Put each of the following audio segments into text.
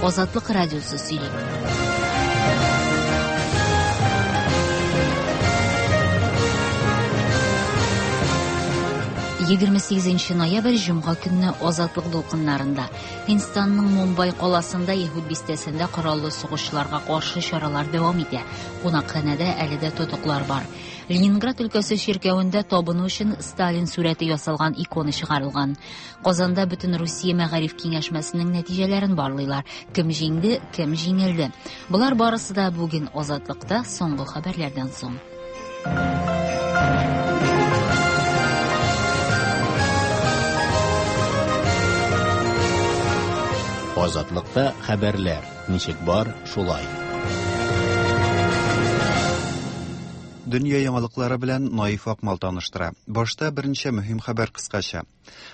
Азатлык радиосы сөйли. 28 ноябрь җомга көнне Азатлык дулкыннарында Һиндстанның Мумбай каласында Яһүд бистәсендә кораллы сугышчыларга каршы чаралар дәвам итә. Кунакханәдә әле дә тотыклар бар. Ленинград өлкәсе чиркәвендә табыну өчен Сталин сурәте ясалган икона чыгарылган. Казанда бөтен Русия мәгариф киңәшмәсенең нәтиҗәләрен барлыйлар. Кем җиңде, кем җиңелде. Болар барысы да бүген Азатлыкта соңгы хәбәрләрдән соң. Азатлыкта хәбәрләр ничек бар, шулай. Дөнья яңалыклары белән Наиф Акмал таныштыра. Башта берничә мөһим хәбәр кыскача.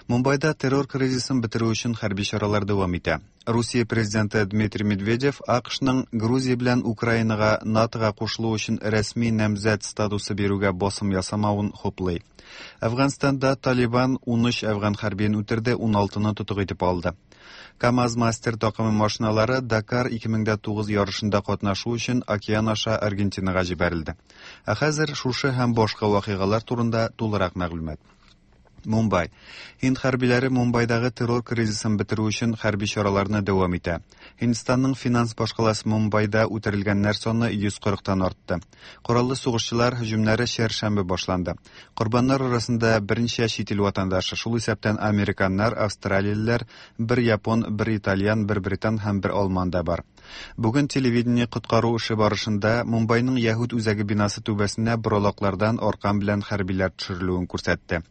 Мумбайда террор кризисын бетерү өчен хәрби чаралар дәвам итә. Русия президенты Дмитрий Медведев АКШның Грузия белән Украинага НАТОга кушылу өчен рәсми намзәт статусы бирүгә басым ясамавын хуплый. Әфганстанда Талибан 13 әфган хәрбиен үтерде, 16-ны тотык итеп алды. КАМАЗ-Мастер такымы машиналары Дакар 2009 ярышында катнашу өчен океан аша Аргентинага җибәрелде. Ә хәзер шушы һәм башка вакыйгалар турында тулырак мәгълүмат. Мумбай. Һинд хәрбиләре Мумбайдагы террор кризисын бетерү өчен хәрби чараларны дәвам итә. Һиндстанның финанс башкаласы Мумбайда үтерелгәннәр саны 140-тан артты. Кораллы сугышчылар һөҗүмнәре чәршәмбе башланды. Корбаннар арасында берничә чит ил ватандашы, шул исәптән американнар, австралиялеләр, бер япон, бер итальян, бер британ һәм бер алман да бар. Бүген телевидение коткару эше барышында Мумбайның Яһүд үзәге бинасы түбәсенә боралаклардан аркан белән хәрбиләр төшерелүен күрсәтте.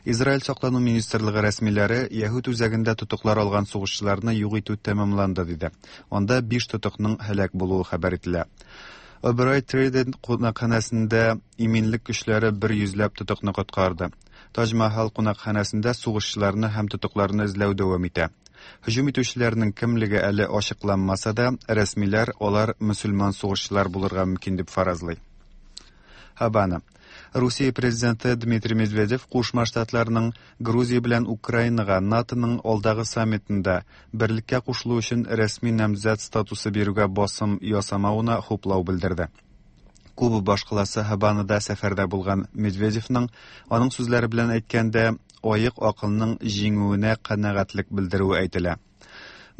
Израиль саклану министрлыгы рәсмиләре Яһүд үзәгендә тотыклар алган сугышчыларны юк итү тәмамланды диде. Анда биш тотыкның һәлак булуы хәбәр ителә. Oberoi Trident кунакханәсендә иминлек көчләре бер йөзләп тотыкны коткарды. Таҗ Махал кунакханәсендә сугышчыларны һәм тотыкларны эзләү дәвам итә. Һөҗүм итүчеләрнең кемлеге әле ачыкланмаса да, рәсмиләр алар мөселман сугышчылар булырга мөмкин дип фаразлый. Хабана. Русия президенты Дмитрий Медведев Кушма Штатларның Грузия белән Украинага НАТОның алдагы саммитында берлеккә кушылу өчен рәсми намзәт статусы бирүгә басым ясамавына хуплау белдерде. Куба башкаласы Һаванада сәфәрдә булган Медведевның, аның сүзләре белән әйткәндә, аек акылның җиңүенә канәгатьлек белдерүе әйтелә.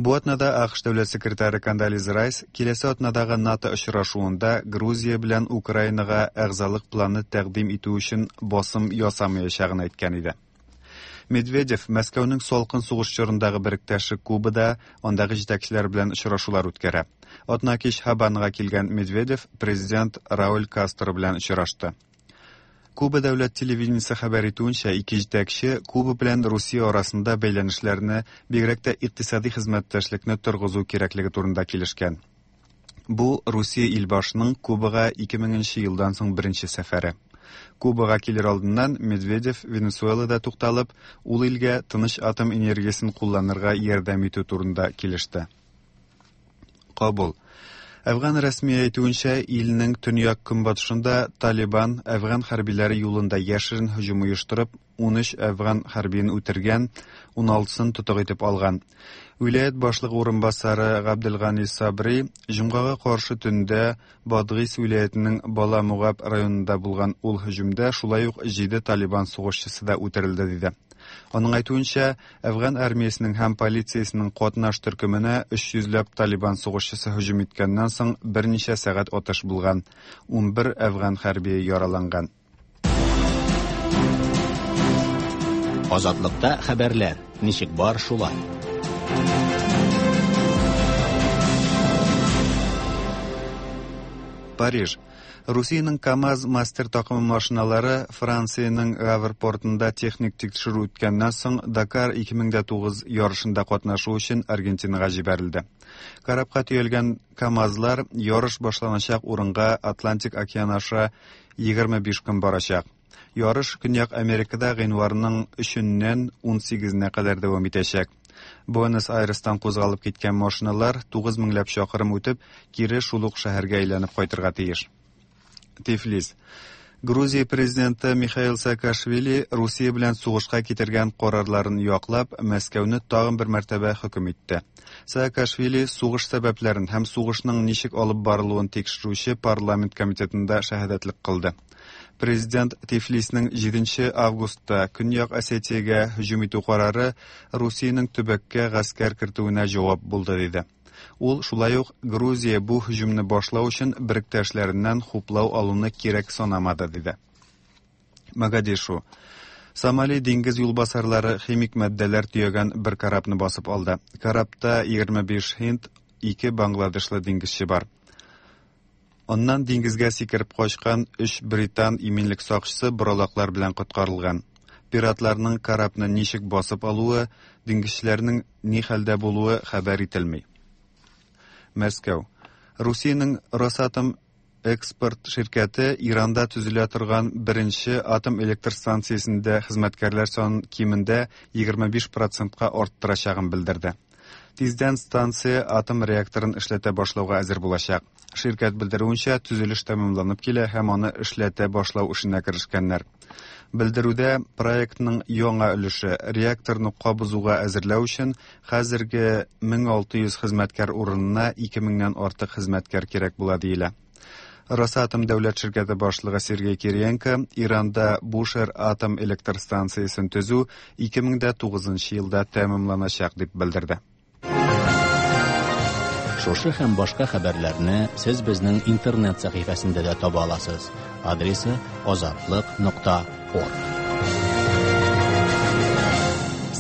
Бу атнада АКШ дәүләт секретаре Кондолиза Райс киләсе атнадагы НАТО очрашуында Грузия белән Украинага әгъзалык планы тәкъдим итү өчен басым ясамаячагын әйткән иде. Медведев Мәскәүнең салкын сугыш чорындагы беректәше Кубада андагы җитәкчеләр белән очрашулар үткәрә. Атнакич Һаванага килгән Медведев президент Рауль Кастро белән очрашты. Куба дәүләт телевидениесе хәбәр итүенчә, ике җитәкче Куба белән Русия арасында бәйләнешләрне, бигрәк тә икътисади хезмәттәшлекне торгызу кирәклеге турында килешкән. Бу Русия илбашының Кубага 2000 елдан соң беренче сәфәре. Кубага килер алдыннан Медведев Венесуэлада тукталып, ул илгә тыныч атом энергиясен кулланырга ярдәм итү турында килеште. Кабул. Әфган рәсми әйтүенчә, илнең төньяк-көнбатышында Талибан әфган хәрбиләре юлында яшерен һөҗүм оештырып, 13 әфган хәрбиен үтергән, 16-сын тотык итеп алган. Вилаять башлыгы урынбасары Габделгани Сабри җомгага каршы төндә Бадгис вилаятының Бала Мугаб районында булган ул һөҗүмдә шулай ук 7 Талибан сугышчысы да үтерелде диде. Аның әйтүенчә, Әфган армиясенең һәм полициясенең катнаш төркеменә 300 ләп Талибан сугышчысы һөҗүм иткәннән соң берничә сәгать атыш булган. 11 әфган хәрбие яраланган. Азатлыкта хәбәрләр ничек бар шулай. Париж. Русиянең КАМАЗ мастер такымы машиналары Франциянең Гавр портында техник тикшерү үткәннән соң Дакар 2009 ярышында катнашу өчен Аргентинага җибәрелде. Корабка төялгән КАМАЗлар ярыш башланачак урынга Атлантик океан аша 25 көн барачак. Ярыш Көньяк Америкада гыйнварның 3-ннән 18-нә кадәр дәвам итәчәк. Буэнос-Айрестан кузгалып киткән машиналар 9 меңләп чакрым үтеп, кире шул ук шәһәргә әйләнеп кайтырга тиеш. Тифлис. Грузия президенты Михаил Саакашвили Русия белән сугышка китергән карарларын яклап, Мәскәүне тагын бер мәртәбә хөкем итте. Саакашвили сугыш сәбәпләрен һәм сугышның ничек алып барылуын тикшерүче парламент комитетында шәһадәтлек кылды. Президент Тифлисның 7 августта Көньяк Осетиягә һөҗүм итү карары Русиянең төбәккә гаскәр кертүенә җавап булды диде. Ул шулай ук Грузия бу һөҗүмне башлау өчен беректәшләреннән хуплау алуны кирәк санамады диде. Могадишу. Сомали диңгез юлбасарлары химик матдәләр төягән бер корабны басып алды. Корабта 25 һинд, 2 бангладешлы диңгезче бар. Аннан диңгезгә сикереп качкан 3 британ иминлек сакчысы боралаклар белән коткарылган. Пиратларның корабны ничек басып алуы, диңгезчеләрнең ни хәлдә булуы хәбәр ителми. Мәскәү. Русиянең Росатом экспорт ширкәте Иранда төзелә торган беренче атом электр станциясендә хезмәткәрләр санын кимендә 25 процентка арттырачагын белдерде. Тиздән станция атом реакторын эшләтә башлауга әзер булачак. Ширкәт белдерүенчә, төзелеш тәмамланып килә һәм аны эшләтә башлау эшенә керешкәннәр. Белдерүдә проектның яңа өлеше реакторны кабызуга әзерләү өчен хәзерге 1600 хезмәткәр урынына 2000-нән артык хезмәткәр кирәк була диелә. Росатом дәүләт ширкәте башлыгы Сергей Кириенко Иранда Бушер атом электр станциясен төзү 2009 елда тәмамланачак дип белдерде. Шушы һәм башка хәбәрләрне сез безнең интернет сәхифәсендә дә таба аласыз. Адресы azatliq.org.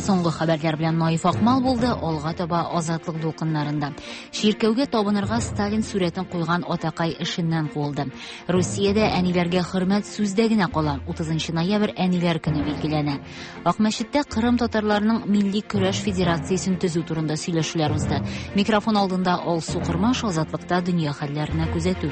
Соңгы хәбәрләр белән Наиф Акмал булды, алга таба Азатлык дулкыннарында. Чиркәүгә табынырга Сталин сурәтен куйган атакай эшеннән куылды. Русиядә әниләргә хөрмәт сүздә генә кала. 30 ноябрь әниләр көне билгеләнә. Акмәчеттә Кырым татарларының милли көрәш федерациясен төзү турында сөйләшүләр узды. Микрофон алдында Алсу Кырмаш, Азатлыкта дөнья хәлләренә күзәтү.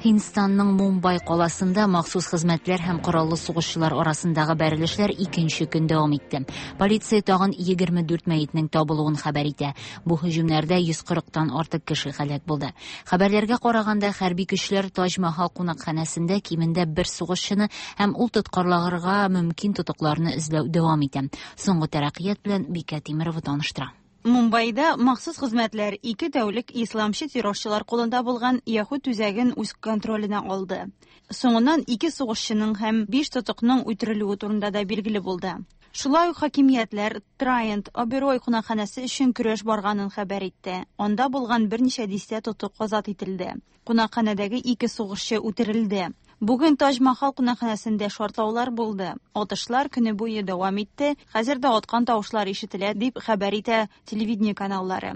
Һиндстанның Мумбай каласында махсус хезмәтләр һәм кораллы сугышчылар арасындагы бәрелешләр икенче көн дәвам итте. Полиция тагын 24 мәетнең табылуын хәбәр итә. Бу һөҗүмнәрдә 140-тан артык кеше һәлак булды. Хәбәрләргә караганда, хәрби көчләр Таҗ Махал кунакханәсендә кимендә бер сугышчыны һәм ул тоткарларга мөмкин тотыкларны эзләү дәвам итә. Соңгы тәрәккыят белән Бикә Тимирова таныштыра. Мумбайда махсус хезмәтләр 2 тәүлек исламчы террорчылар кулында булган Яһүд үзәген үз контроленә алды. Соңыннан 2 сугышчының һәм 5 тотыкның үтерелүе турында да билгеле булды. Шулай ук хакимиятләр Траент Оберой кунакханәсе өчен көрәш барганын хәбәр итте. Анда булган берничә дистә тотык азат ителде. Кунакханәдәге 2 сугышчы үтерелде. Бүген Таҗ Махал кунакханәсендә шартлаулар булды. Атышлар көне буе дәвам итте. Хәзер дә аткан тавышлар ишетелә, дип хәбәр итә телевидение каналлары.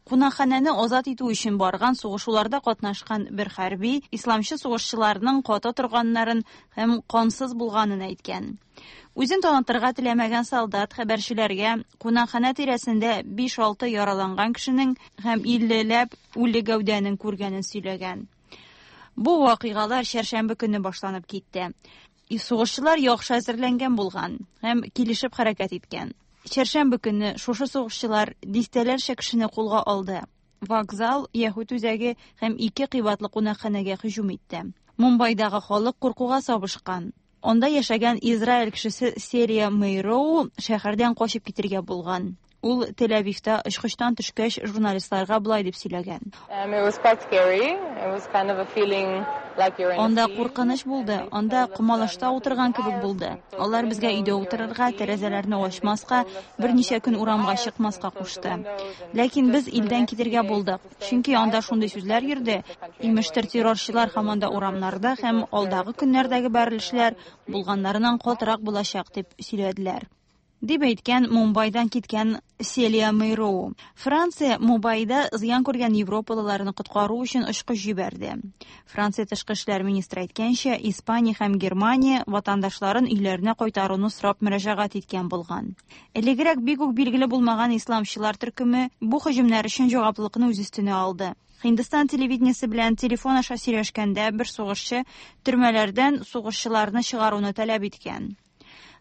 Кунакханәне азат итү өчен барган сугышуларда катнашкан бер хәрби исламчы сугышчыларның каты торганнарын һәм кансыз булганын әйткән. Үзен танытырга теләмәгән солдат хәбәрчеләргә кунакханә тирәсендә 5-6 яраланган кешенең һәм 50ләп үле гәүдәнең күргәнен сөйләгән. Бу вакыйгалар чәршәмбе көне башланып китте. Сугышчылар яхшы әзерләнгән булган һәм килешеп хәрәкәт иткән. Чәршәмбе көне шушы сугышчылар дистәләрчә кешене кулга алды. Вокзал, Яһүд үзәге һәм 2 кыйбатлы кунакханәгә һөҗүм итте. Мумбайдагы халык куркуга сабышкан. Анда яшәгән Израиль кешесе Серия Мейроу шәһәрдән качып китергә булган. Ул Тель-Авивта очкычтан төшкәч журналистларга болай дип сөйләгән. Анда куркыныч булды, анда комалышта утырган кебек булды. Алар безгә өйдә утырырга, тәрәзәләрне ачмаска, берничә көн урамга чыкмаска кушты. Ләкин без илдән китергә булдык, чөнки анда шундый сүзләр йөрде. Имештер, террорчылар һаман да урамнарда һәм алдагы көннәрдәге бәрелешләр булганнарыннан катырак булачак дип сөйләделәр. Дип әйткән Мумбайдан киткән Селия Мейроу. Франция Мумбайда зыян күргән европалыларны коткару өчен очкыч җибәрде. Франция тышкы эшләр министры әйткәнчә, Испания һәм Германия ватандашларын өйләренә кайтаруны сорап мөрәҗәгать иткән булган. Элегрәк бик үк билгеле булмаган исламчылар төркеме бу һөҗүмнәр өчен җаваплылыкны үз өстенә алды. Һиндстан телевидениесе белән телефон аша сөйләшкәндә бер сугышчы төрмәләрдән сугышчыларны чыгаруны таләп иткән.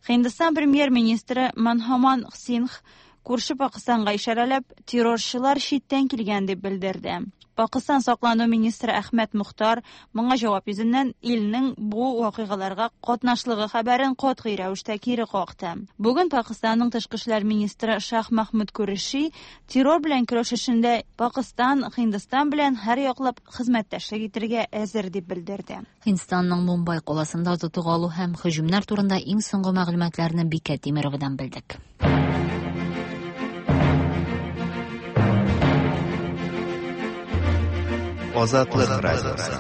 Һиндстан премьер-министры Манмохан Сингх Күрше Пакыстанга ишарәләп, террорчылар читтән килгән дип белдерде. Пакыстан саклану министры Әхмәт Мохтар моңа җавап йөзеннән илнең бу вакыйгаларга катнашлыгы хәбәрен катгый рәвештә кире какты. Бүген Пакыстанның тышкы эшләр министры Шах Махмуд Куреши террор белән көрәш эшендә Пакыстан Һиндстан белән һәр яклап хезмәттәшлек итәргә әзер дип белдерде. Һиндстанның Мумбай каласында тотып алу һәм һөҗүмнәр турында иң соңгы мәгълүматларны Бикә Тимеровадан белдек. Азатлык радиосы.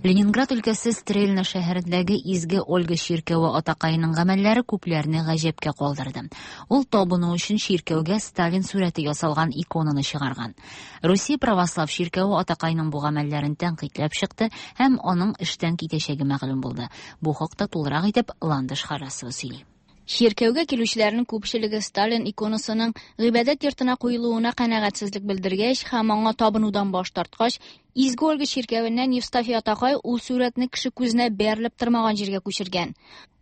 Ленинград өлкәсе Стрельна шәһәрендәге Изге Ольга чиркәве атакаеның гамәлләре күпләрне гаҗәпкә калдырды. Ул табыну өчен чиркәүгә Сталин сурәте ясалган иконаны чыгарган. Русия православ чиркәве атакайның бу гамәлләрен тәнкыйтьләп чыкты һәм аның эштән китәчәге мәгълүм булды. Бу хакта тулырак итеп Ландыш Харасова сөйли. Чиркәүгә килүчеләрнең күпчелеге Сталин иконасының гыйбадәт йортына куелуына канәгатьсезлек белдергәч һәм аңа табынудан баш тарткач, Изге Ольга чиркәвеннән Евстафий атакай ул сурәтне кеше күзенә бәрелеп тормаган җиргә күчергән.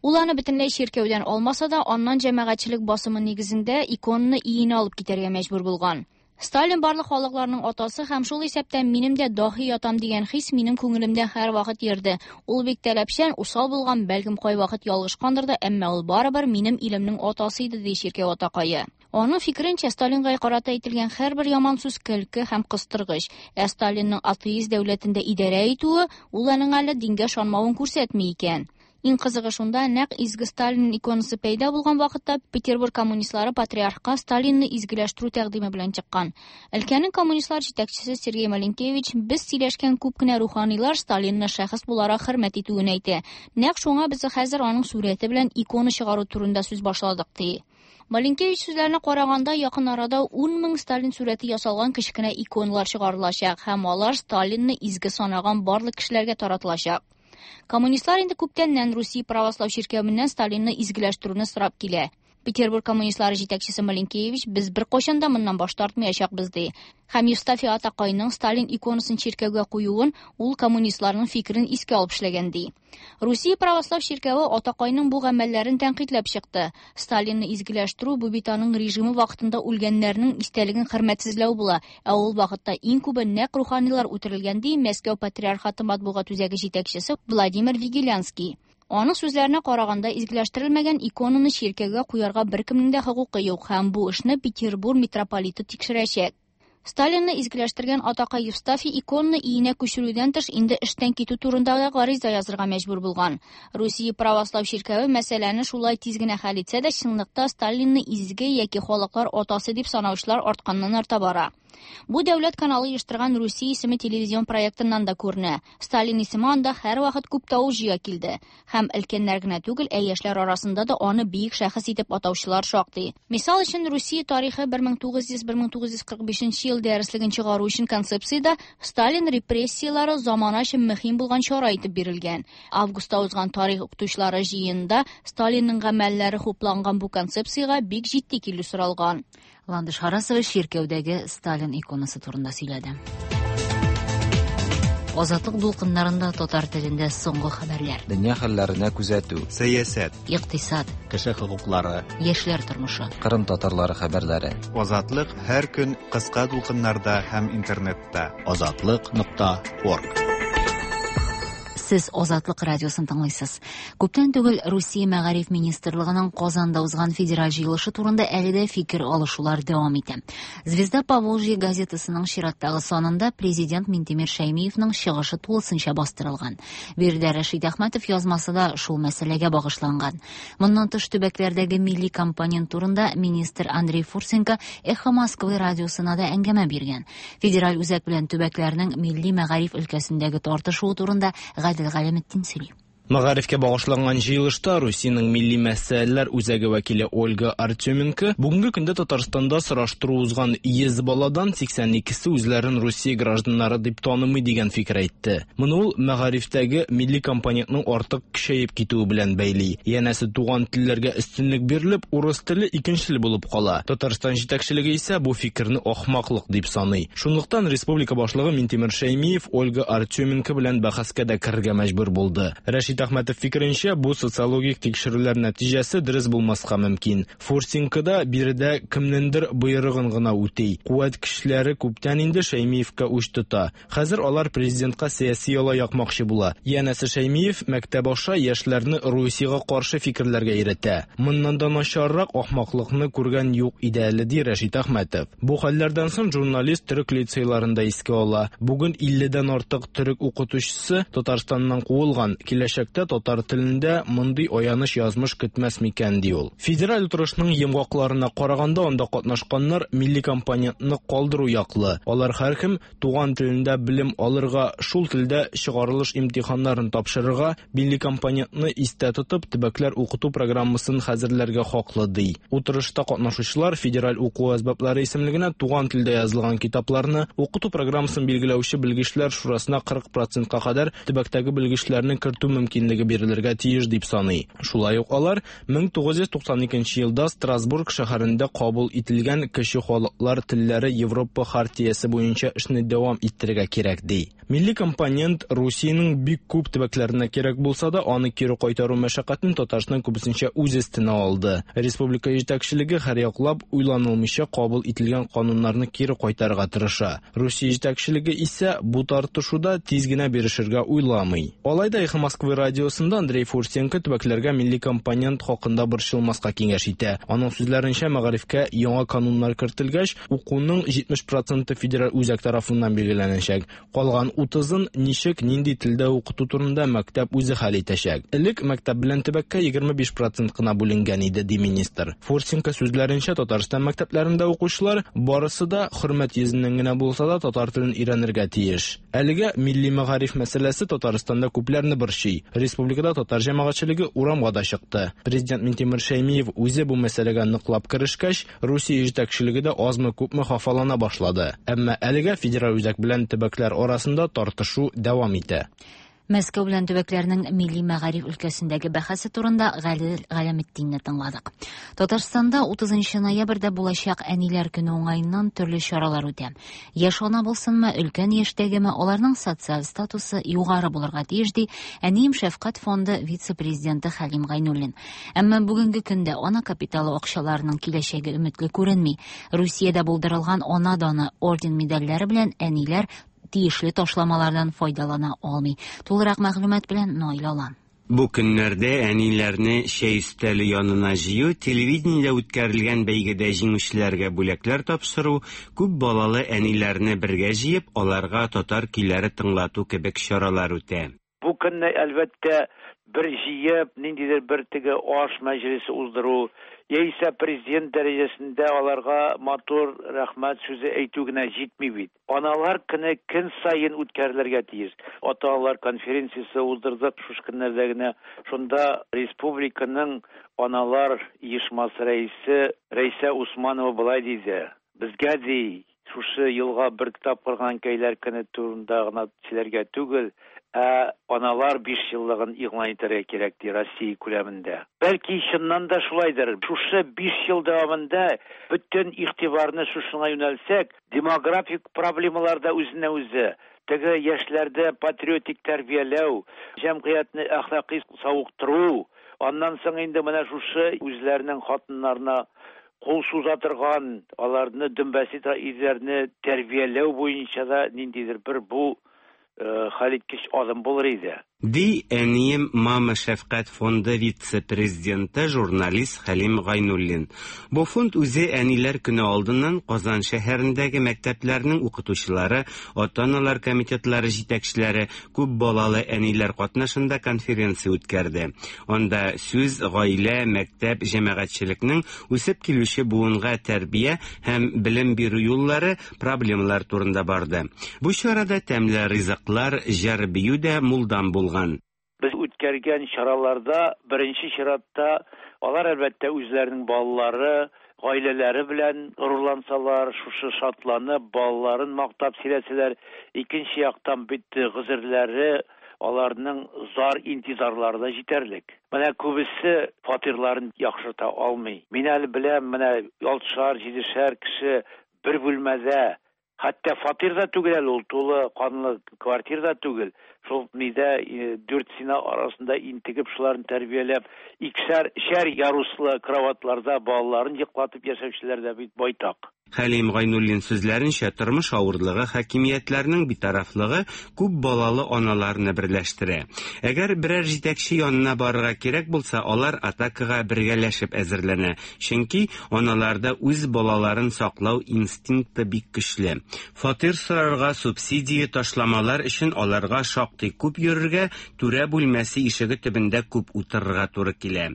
Ул аны бөтенләй чиркәүдән алмаса да, аннан җәмәгатьчелек басымы нигезендә иконаны өенә алып китәргә мәҗбүр булган. Сталин барлык халыкларның атасы һәм шул исәптән минем дә даһи ятам дигән хис минем күңелемдә һәрвакыт йөрде. Ул бик таләпчән, усал булган, бәлкем кайвакыт ялгышкандыр да, әмма ул барыбер минем илемнең атасы иде, ди чиркәү атакае. Аның фикеренчә, Сталинга карата әйтелгән һәрбер яман сүз көлке һәм кыстыргыч. Ә Сталинның атеист дәүләтендә идарә итүе ул аның әле дингә ышанмавын күрсәтми икән. Иң кызыгы шунда, нәкъ изге Сталин иконасы пәйда булган вакытта Петербург коммунистлары патриархка Сталинны изгеләштерү тәкъдиме белән чыккан. Өлкәнең коммунистлар җитәкчесе Сергей Маленкевич без сөйләшкән күп кенә руханилар Сталинны шәхес буларак хөрмәт итүен әйтә. Нәкъ шуңа без хәзер аның сурәте белән икона чыгару турында сүз башладык, ди. Маленкевич сүзләренә караганда, якын арада 10 мең Сталин сурәте ясалган кечкенә иконалар чыгарылачак һәм алар Сталинны изге санаган барлык кешеләргә таратылачак. Коммунистлар инде күптәннән Русия православ чиркәвеннән Сталинны изгеләштерүне сорап килә. Петербург коммунистлары җитәкчесе Маленкевич без беркайчан да моннан баш тартмаячакбыз, ди. Һәм Евстафий атакайның Сталин иконасын чиркәүгә куюын ул коммунистларның фикерен искә алып эшләгән, ди. Русия православ чиркәве атакайның бу гамәлләрен тәнкыйтьләп чыкты. Сталинны изгеләштерү бу бит аның режимы вакытында үлгәннәрнең истәлеген хөрмәтсезләү була, ә ул вакытта иң күбе нәкъ руханилар үтерелгән, ди Мәскәү патриархаты матбугат үзәге җитәкчесе Владимир Вигелянский. Аның сүзләренә караганда, изгеләштерелмәгән иконаны чиркәүгә куярга беркемнең дә хокукы юк һәм бу эшне Петербург митрополиты тикшерәчәк. Сталинны изгеләштергән атакай Евстафий иконаны өенә күчерүдән тыш инде эштән китү турында да гариза язырга мәҗбүр булган. Русия православ чиркәве мәсьәләне шулай тиз генә хәл итсә дә, чынлыкта Сталинны изге яки халыклар атасы дип санаучылар артканнан арта бара. Бу дәүләт каналы оештырган Русия исеме телевизион проектыннан да күренә. Сталин исеме анда һәрвакыт күп тавыш җыя килде. Һәм өлкәннәр генә түгел, ә яшьләр арасында да аны бөек шәхес итеп атаучылар шактый. Мисал өчен, Русия тарихы 1900-1945 ел дәреслеген чыгару өчен концепциядә Сталин репрессияләре замана өчен мөһим булган чара итеп бирелгән. Августта узган тарих укытучылары җыенында Сталинның гамәлләре хупланган бу концепциягә бик җитди килү соралган. Ландыш Харасова чиркәүдәге Сталин иконасы турында сөйләде. Азатлык дулкыннарында татар телендә соңгы хәбәрләр. Дөнья хәлләренә күзәтү. Сәясәт. Икътисад. Кеше хокуклары. Яшьләр тормышы. Кырым татарлары хәбәрләре. Азатлык һәр көн кыска дулкыннарда һәм интернетта. Азатлык.орг. Сез Азатлык радиосын тыңлыйсыз. Күптән түгел Русия мәгариф министрлыгының Казанда узган федераль җыелышы турында әле дә фикер алышулар дәвам итә. Звезда Поволжья газетасының чираттагы санында президент Минтимер Шәймиевның чыгышы тулысынча бастырылган. Биредә Рәшит Әхмәтов язмасы да шул мәсьәләгә багышланган. Моннан тыш төбәкләрдәге милли компонент турында министр Андрей Фурсенко Эхо Москвы радиосына да әңгәмә биргән. Федераль үзәк белән төбәкләрнең милли мәгариф өлкәсендәге тартышуы турында Гадел Галәметдин сөйли. Мәгарифкә багышланган җыелышта Русиянең милли мәсьәләләр үзәге вәкиле Ольга Артеменко бүгенге көндә Татарстанда сораштыру узган 100 баладан 82-се үзләрен Русия гражданнары дип танымый дигән фикер әйтте. Моны ул мәгарифтәге милли компонентның артык көчәеп китүе белән бәйли. Янәсе туган телләргә өстенлек бирелеп, урыс теле икенче тел булып кала. Татарстан җитәкчелеге исә бу фикерне ахмаклык дип саный. Шунлыктан республика башлыгы Минтимер Шәймиев Ольга Артеменко белән бәхәскә дә керергә мәҗбүр булды. Рәшит Рәшит Әхмәтов фикеренчә, бу социологик тикшерүләр нәтиҗәсе дөрес булмаска мөмкин. Фурсенко да биредә кемнеңдер боерыгын гына үти. Куәт көчләре күптән инде Шәймиевкә үч тота. Хәзер алар президентка сәяси яла якмакчы була. Янәсе Шәймиев мәктәп аша яшьләрне Русиягә каршы фикерләргә өйрәтә. Моннан да начаррак ахмаклыкны күргән юк иде әле, ди Рәшит Әхмәтов. Бу хәлләрдән соң журналист төрек лицейларын да искә ала. Бүген 50 дән артык төрек укытучысы Татарстаннан куылган. Киләчәктә татар телендә мондый аяныч язмыш көтмәс микән, ди ул. Федераль утырышның йомгакларына караганда, анда катнашканнар милли компонентны калдыру яклы. Алар һәркем туган телендә белем алырга, шул телдә чыгарылыш имтиханнарын тапшырырга, милли компонентны истә тотып, төбәкләр укыту программасын хәзерләргә хаклы, ди. Утырышта катнашучылар федераль уку әсбаплары исемлегенә туган телдә язылган китапларны, укыту программасын билгеләүче белгечләр шурасына 40 процентка кадәр төбәктәге белгечләрне кертү мөмкинлеге бирелергә тиеш дип саный. Шулай ук алар 1992 елда Страсбург шәһәрендә кабул ителгән Кече халыклар телләре Европа хартиясе буенча эшне дәвам иттерергә кирәк, ди. Милли компонент Русиянең бик күп төбәкләренә кирәк булса да, аны кире кайтару мәшәкатен Татарстан күбесенчә үз өстенә алды. Республика җитәкчелеге һәрьяклап уйланылмыйча кабул ителгән кануннарны кире кайтарырга тырыша. Русия җитәкчелеге исә бу тартышуда тиз генә бирешергә уйламый. Алай да Эхо Москвы радиосында Андрей Фурсенко төбәкләргә милли компонент хакында борчылмаска киңәш итә. Аның сүзләренчә, мәгарифкә яңа кануннар кертелгәч, укуның 70 проценты федераль үзәк тарафыннан билгеләнәчәк. Калган 30-ын ничек, нинди телдә укыту турында мәктәп үзе хәл итәчәк. Элек мәктәп белән төбәккә 25 процент кына бүленгән иде, ди министр. Фурсенко сүзләренчә, Татарстан мәктәпләрендә укучылар барысы да хөрмәт йөзеннән генә булса да татар телен өйрәнергә тиеш. Әлегә милли мәгариф мәсьәләсе Татарстанда күпләрне борчый. Республикада татар җәмәгатьчелеге урамга да чыкты. Президент Минтимер Шәймиев үзе бу мәсьәләгә ныклап керешкәч, Русия җитәкчелеге дә азмы-күпме хафалана башлады. Әмма әлегә федераль үзәк белән төбәкләр арасында тартышу дәвам итә. Мәскәү белән төбәкләрнең милли мәгариф өлкәсендәге бәхәсе турында Гадел Галәметдинне тыңладык. Татарстанда 30 ноябрьдә булачак Әниләр көне уңаеннан төрле чаралар үтә. Яшь ана булсынмы, өлкән яшьтәгеме, аларның социаль статусы югары булырга тиеш, ди Әнием шәфкать фонды вице-президенты Хәлим Гайнуллин. Әмма бүгенге көндә ана капиталы акчаларының киләчәге өметле күренми. Русиядә булдырылган Ана даны орден-медальләре белән әниләр тиешле ташламалардан файдалана алмый. Тулырак мәгълүмат белән Наил Алан. Бу көннәрдә әниләрне чәй өстәле янына җыю, телевидениедә үткәрелгән бәйгедә җиңүчеләргә бүләкләр тапшыру, күп балалы әниләрне бергә җыеп, аларга татар көйләре тыңлату кебек чаралар үтә. Бу көнне, әлбәттә, бер җыеп, ниндидер бер теге аш мәҗлесе уздыру, яисә президент дәрәҗәсендә аларга матур рәхмәт сүзе әйтү генә җитми бит. Аналар көне көн саен үткәрелергә тиеш. Ата-аналар конференциясе уздырдык шушы көннәрдә генә. Шунда республиканың аналар оешмасы рәисе Рәйсә Усманова болай диде: Безгә, ди, шушы елга бер тапкыр гына әнкәйләр көне турында гына сөйләргә түгел, ә аналар бишьеллыгын игълан итәргә кирәк, ди, Россия күләмендә. Бәлки, чыннан да шулайдыр. Шушы биш ел дәвамында бөтен игътибарны шушыңа юнәлтсәк, демографик проблемалар да үзеннән-үзе, теге яшьләрдә патриотик тәрбияләү, җәмгыятьне әхлакый савыктыру, аннан соң инде менә шушы үзләренең хатыннарына кул суза торган, аларны дөмбәсли торган ирләрне тәрбияләү буенча да ниндидер бер бу хәлиткеч адым булыр иде. Ди Әнием Мама шәфкать фонды вице-президенты, журналист Хәлим Гайнуллин. Бу фонд үзе Әниләр көне алдыннан Казан шәһәрендәге мәктәпләрнең укытучылары, ата-аналар комитетлары җитәкчеләре, күп балалы әниләр катнашында конференция үткәрде. Анда сүз гаилә, мәктәп, җәмәгатьчелекнең үсеп килүче буынга тәрбия һәм белем бирү юллары, проблемалар турында барды. Бу чарада тәмле ризыклар, җыр-бию дә мулдан булган. Без үткәргән чараларда беренче чиратта алар, әлбәттә, үзләренең балалары, гаиләләре белән горурлансалар, шушы шатланып, балаларын мактап сөйләсәләр, икенче яктан бит гозерләре, аларның зар-интизарлары да җитәрлек. Менә күбесе фатирларын яхшырта алмый. Мин әле беләм, менә алтышар, җидешәр кеше бер бүлмәдә. Хәтта фатир да түгел әле ул, тулы канлы квартир да түгел. Шул нидә дүрт стена арасында интегеп, шуларны тәрбияләп, икешәр, өчәр яруслы кроватьларда балаларын йоклатып яшәүчеләр дә бит байтак. Хәлим Гайнуллин сүзләренчә, тормыш авырлыгы, хакимиятләрнең битарафлыгы күп балалы аналарны берләштерә. Әгәр берәр җитәкче янына барырга кирәк булса, алар атакага бергәләшеп әзерләнә. Чөнки аналарда үз балаларын саклау инстинкты бик көчле. Фатир сорарга, субсидия, ташламалар өчен аларга шактый күп йөрергә, түрә бүлмәсе ишеге төбендә күп утырырга туры килә.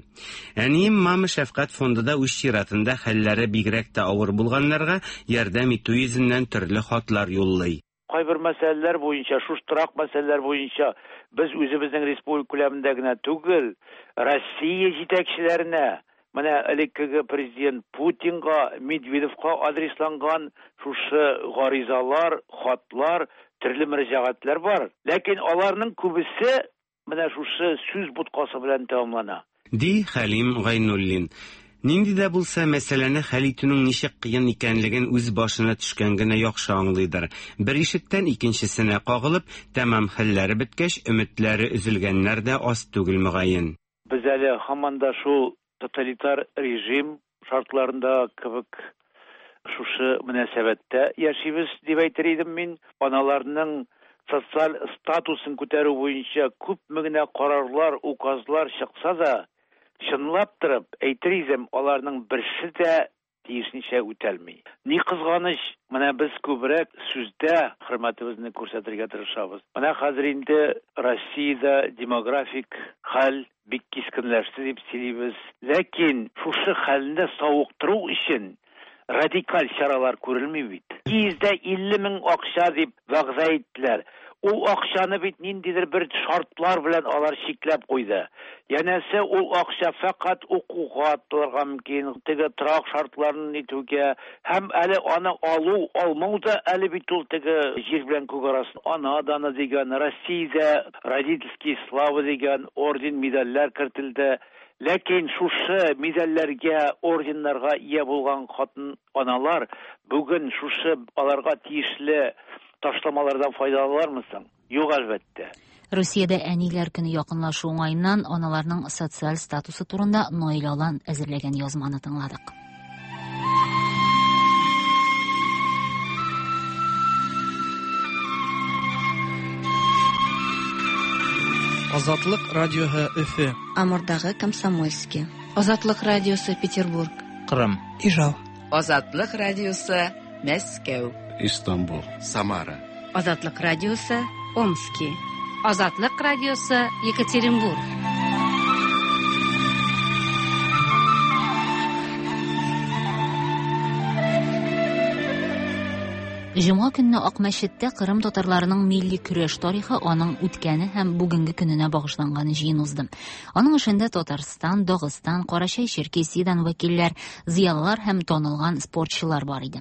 Әнием Мама шәфкать фонды да үз чиратында хәлләре бигрәк тә авыр булганнарга ярдәм итү йөзеннән төрле хатлар юллый. Кайбер мәсьәләләр буенча, шушы торак мәсьәләләр буенча без үзебезнең республика күләмендә генә түгел, Россия җитәкчеләренә, менә элеккеге президент Путинга, Медведевка адресланган шушы гаризалар, хатлар, төрле мөрәҗәгатьләр бар. Ләкин аларның күбесе менә шушы сүз боткасы белән тәмамлана. Ди Хәлим Гайнуллин. Нинди дә булса мәсьәләне хәл итүнең ничек кыен икәнлеген үз башына төшкән генә яхшы аңлыйдыр. Бер ишектән икенчесенә кагылып, тәмам хәлләре беткәч, өметләре өзелгәннәр дә аз түгел мөгаен. Без әле һаман да шул тоталитар режим шартларында кебек шушы мөнәсәбәттә яшибез дип әйтер идем мин. Аналарның социаль статусын күтәрү буенча күпме генә карарлар, указлар чыкса да, чынлап торып әйтер идем, аларның берсе дә тиешенчә үтәлми. Ни кызганыч, менә без күбрәк сүздә хөрмәтебезне күрсәтергә тырышабыз. Менә хәзер инде Россиядә демографик хәл бик кискенләште дип сөйлибез. Ләкин шушы хәлне савыктыру өчен радикаль чаралар күрелми бит. 250 мең акча дип вәгъдә иттеләр. Ул акчаны бит ниндидер бер шартлар белән алар чикләп куйды. Янәсе ул акча фәкать укуга атылырга мөмкин, теге торак шартларын итүгә һәм әле аны алу, алмау да әле бит ул теге җир белән күк арасын. Ана даны дигән, Россиядә родительские славы дигән орден, медальләр кертелде. Ләкин шушы медальләргә, орденнарга ия булган хатын аналар бүген шушы аларга тиешле ташламалардан файдаланалармы соң? Юк, әлбәттә. Русиядә әниләр көне якынлашу уңаеннан аналарның социаль статусы турында Наил Алан әзерләгән язманы тыңладык. Азатлык радиоһы Өфе. Амурдагы Комсомольский. Азатлык радиосы Петербург. Кырым. Ижау. Азатлык радиосы Мәскәү. Истанбул. Самара. Азатлык радиосы Омски. Азатлык радиосы Екатеринбург. Җомга көнне Акмәчеттә Кырым татарларының милли көрәш тарихы, аның үткәне һәм бүгенге көненә багышланган җыен узды. Аның эшендә Татарстан, Дагыстан, Карачай-Черкесиядән вәкилләр, зыялылар һәм танылган спортчылар бар иде.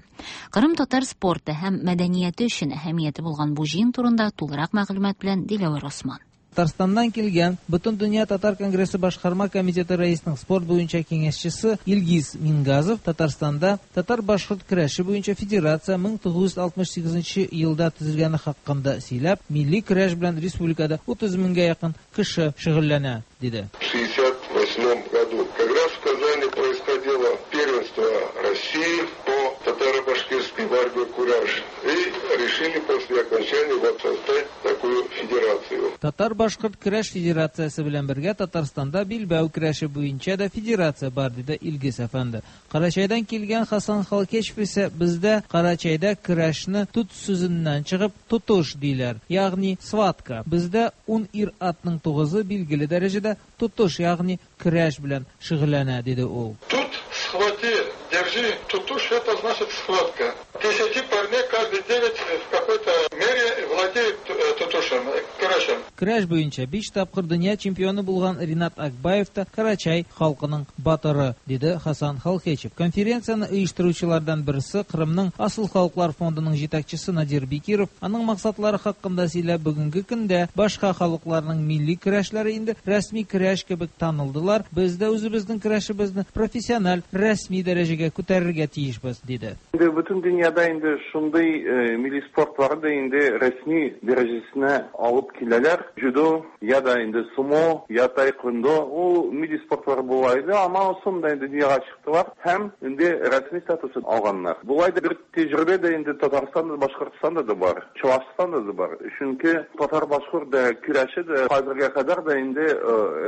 Кырым татар спорты һәм мәдәнияте өчен әһәмияте булган бу җыен турында тулырак мәгълүмат белән Диләвәр Осман. Татарстаннан килгән Бөтендөнья татар конгрессы башкарма комитеты рәисенең спорт буенча киңәшчесе Илгиз Мингазов Татарстанда татар-башкорт көрәше буенча федерация 1968 елда төзелгәне хакында сөйләп, милли көрәш белән республикада 30 меңгә якын кеше шөгыльләнә, диде. В 68 году как раз в Казани происходило первенство России по татаро-башкирской борьбе кураж. И решили после окончания вот создать такую федерацию. Татар-башкорт көрәш федерациясе белән бергә Татарстанда билбау көрәше буенча да федерация бар, диде Илгиз әфәнде. Карачайдан килгән Хасан Халкешев исә бездә Карачайда көрәшне тут сүзеннән чыгып тотыш диләр, ягъни сватка. Бездә 10 ир-атның 9-ы билгеле дәрәҗәдә тотыш, ягъни көрәш белән шөгыльләнә, диде ул. Тут схвати, держи, тутуш, это значит схватка. 10 парней каждый 9 в какой-то мере владеют тутушем, көрәшем. Көрәш буенча 5 тапкыр дөнья чемпионы булган Ринат Акбаев та Карачай халкының батыры, диде Хасан Халкечев. Конференцияне оештыручылардан берсе Кырымның Асыл халыклар фондының җитәкчесе Надир Бекиров аның максатлары хакында сөйләп, бүгенге көндә башка халыкларның милли көрәшләре инде рәсми көрәш кебек танылдылар. Без дә үзебезнең көрәшебезне профессиональ рәсми дәрәҗәгә күтәрергә тиешбез, диде. Инде бөтен дөньяда инде шундый милли спортлары да инде рәсми дәрәҗәсенә алып киләләр. Дзюдо, я да инде сумо, я таэквондо, ул милли спортлары була иде, ама соң да инде дөньяга чыктылар һәм инде рәсми статусын алганнар. Болай да бер тәҗрибә дә инде Татарстанда, Башкортстанда да бар, Чуашстанда да бар. Чөнки татар-башкорт да көрәше дә хәзергә кадәр дә инде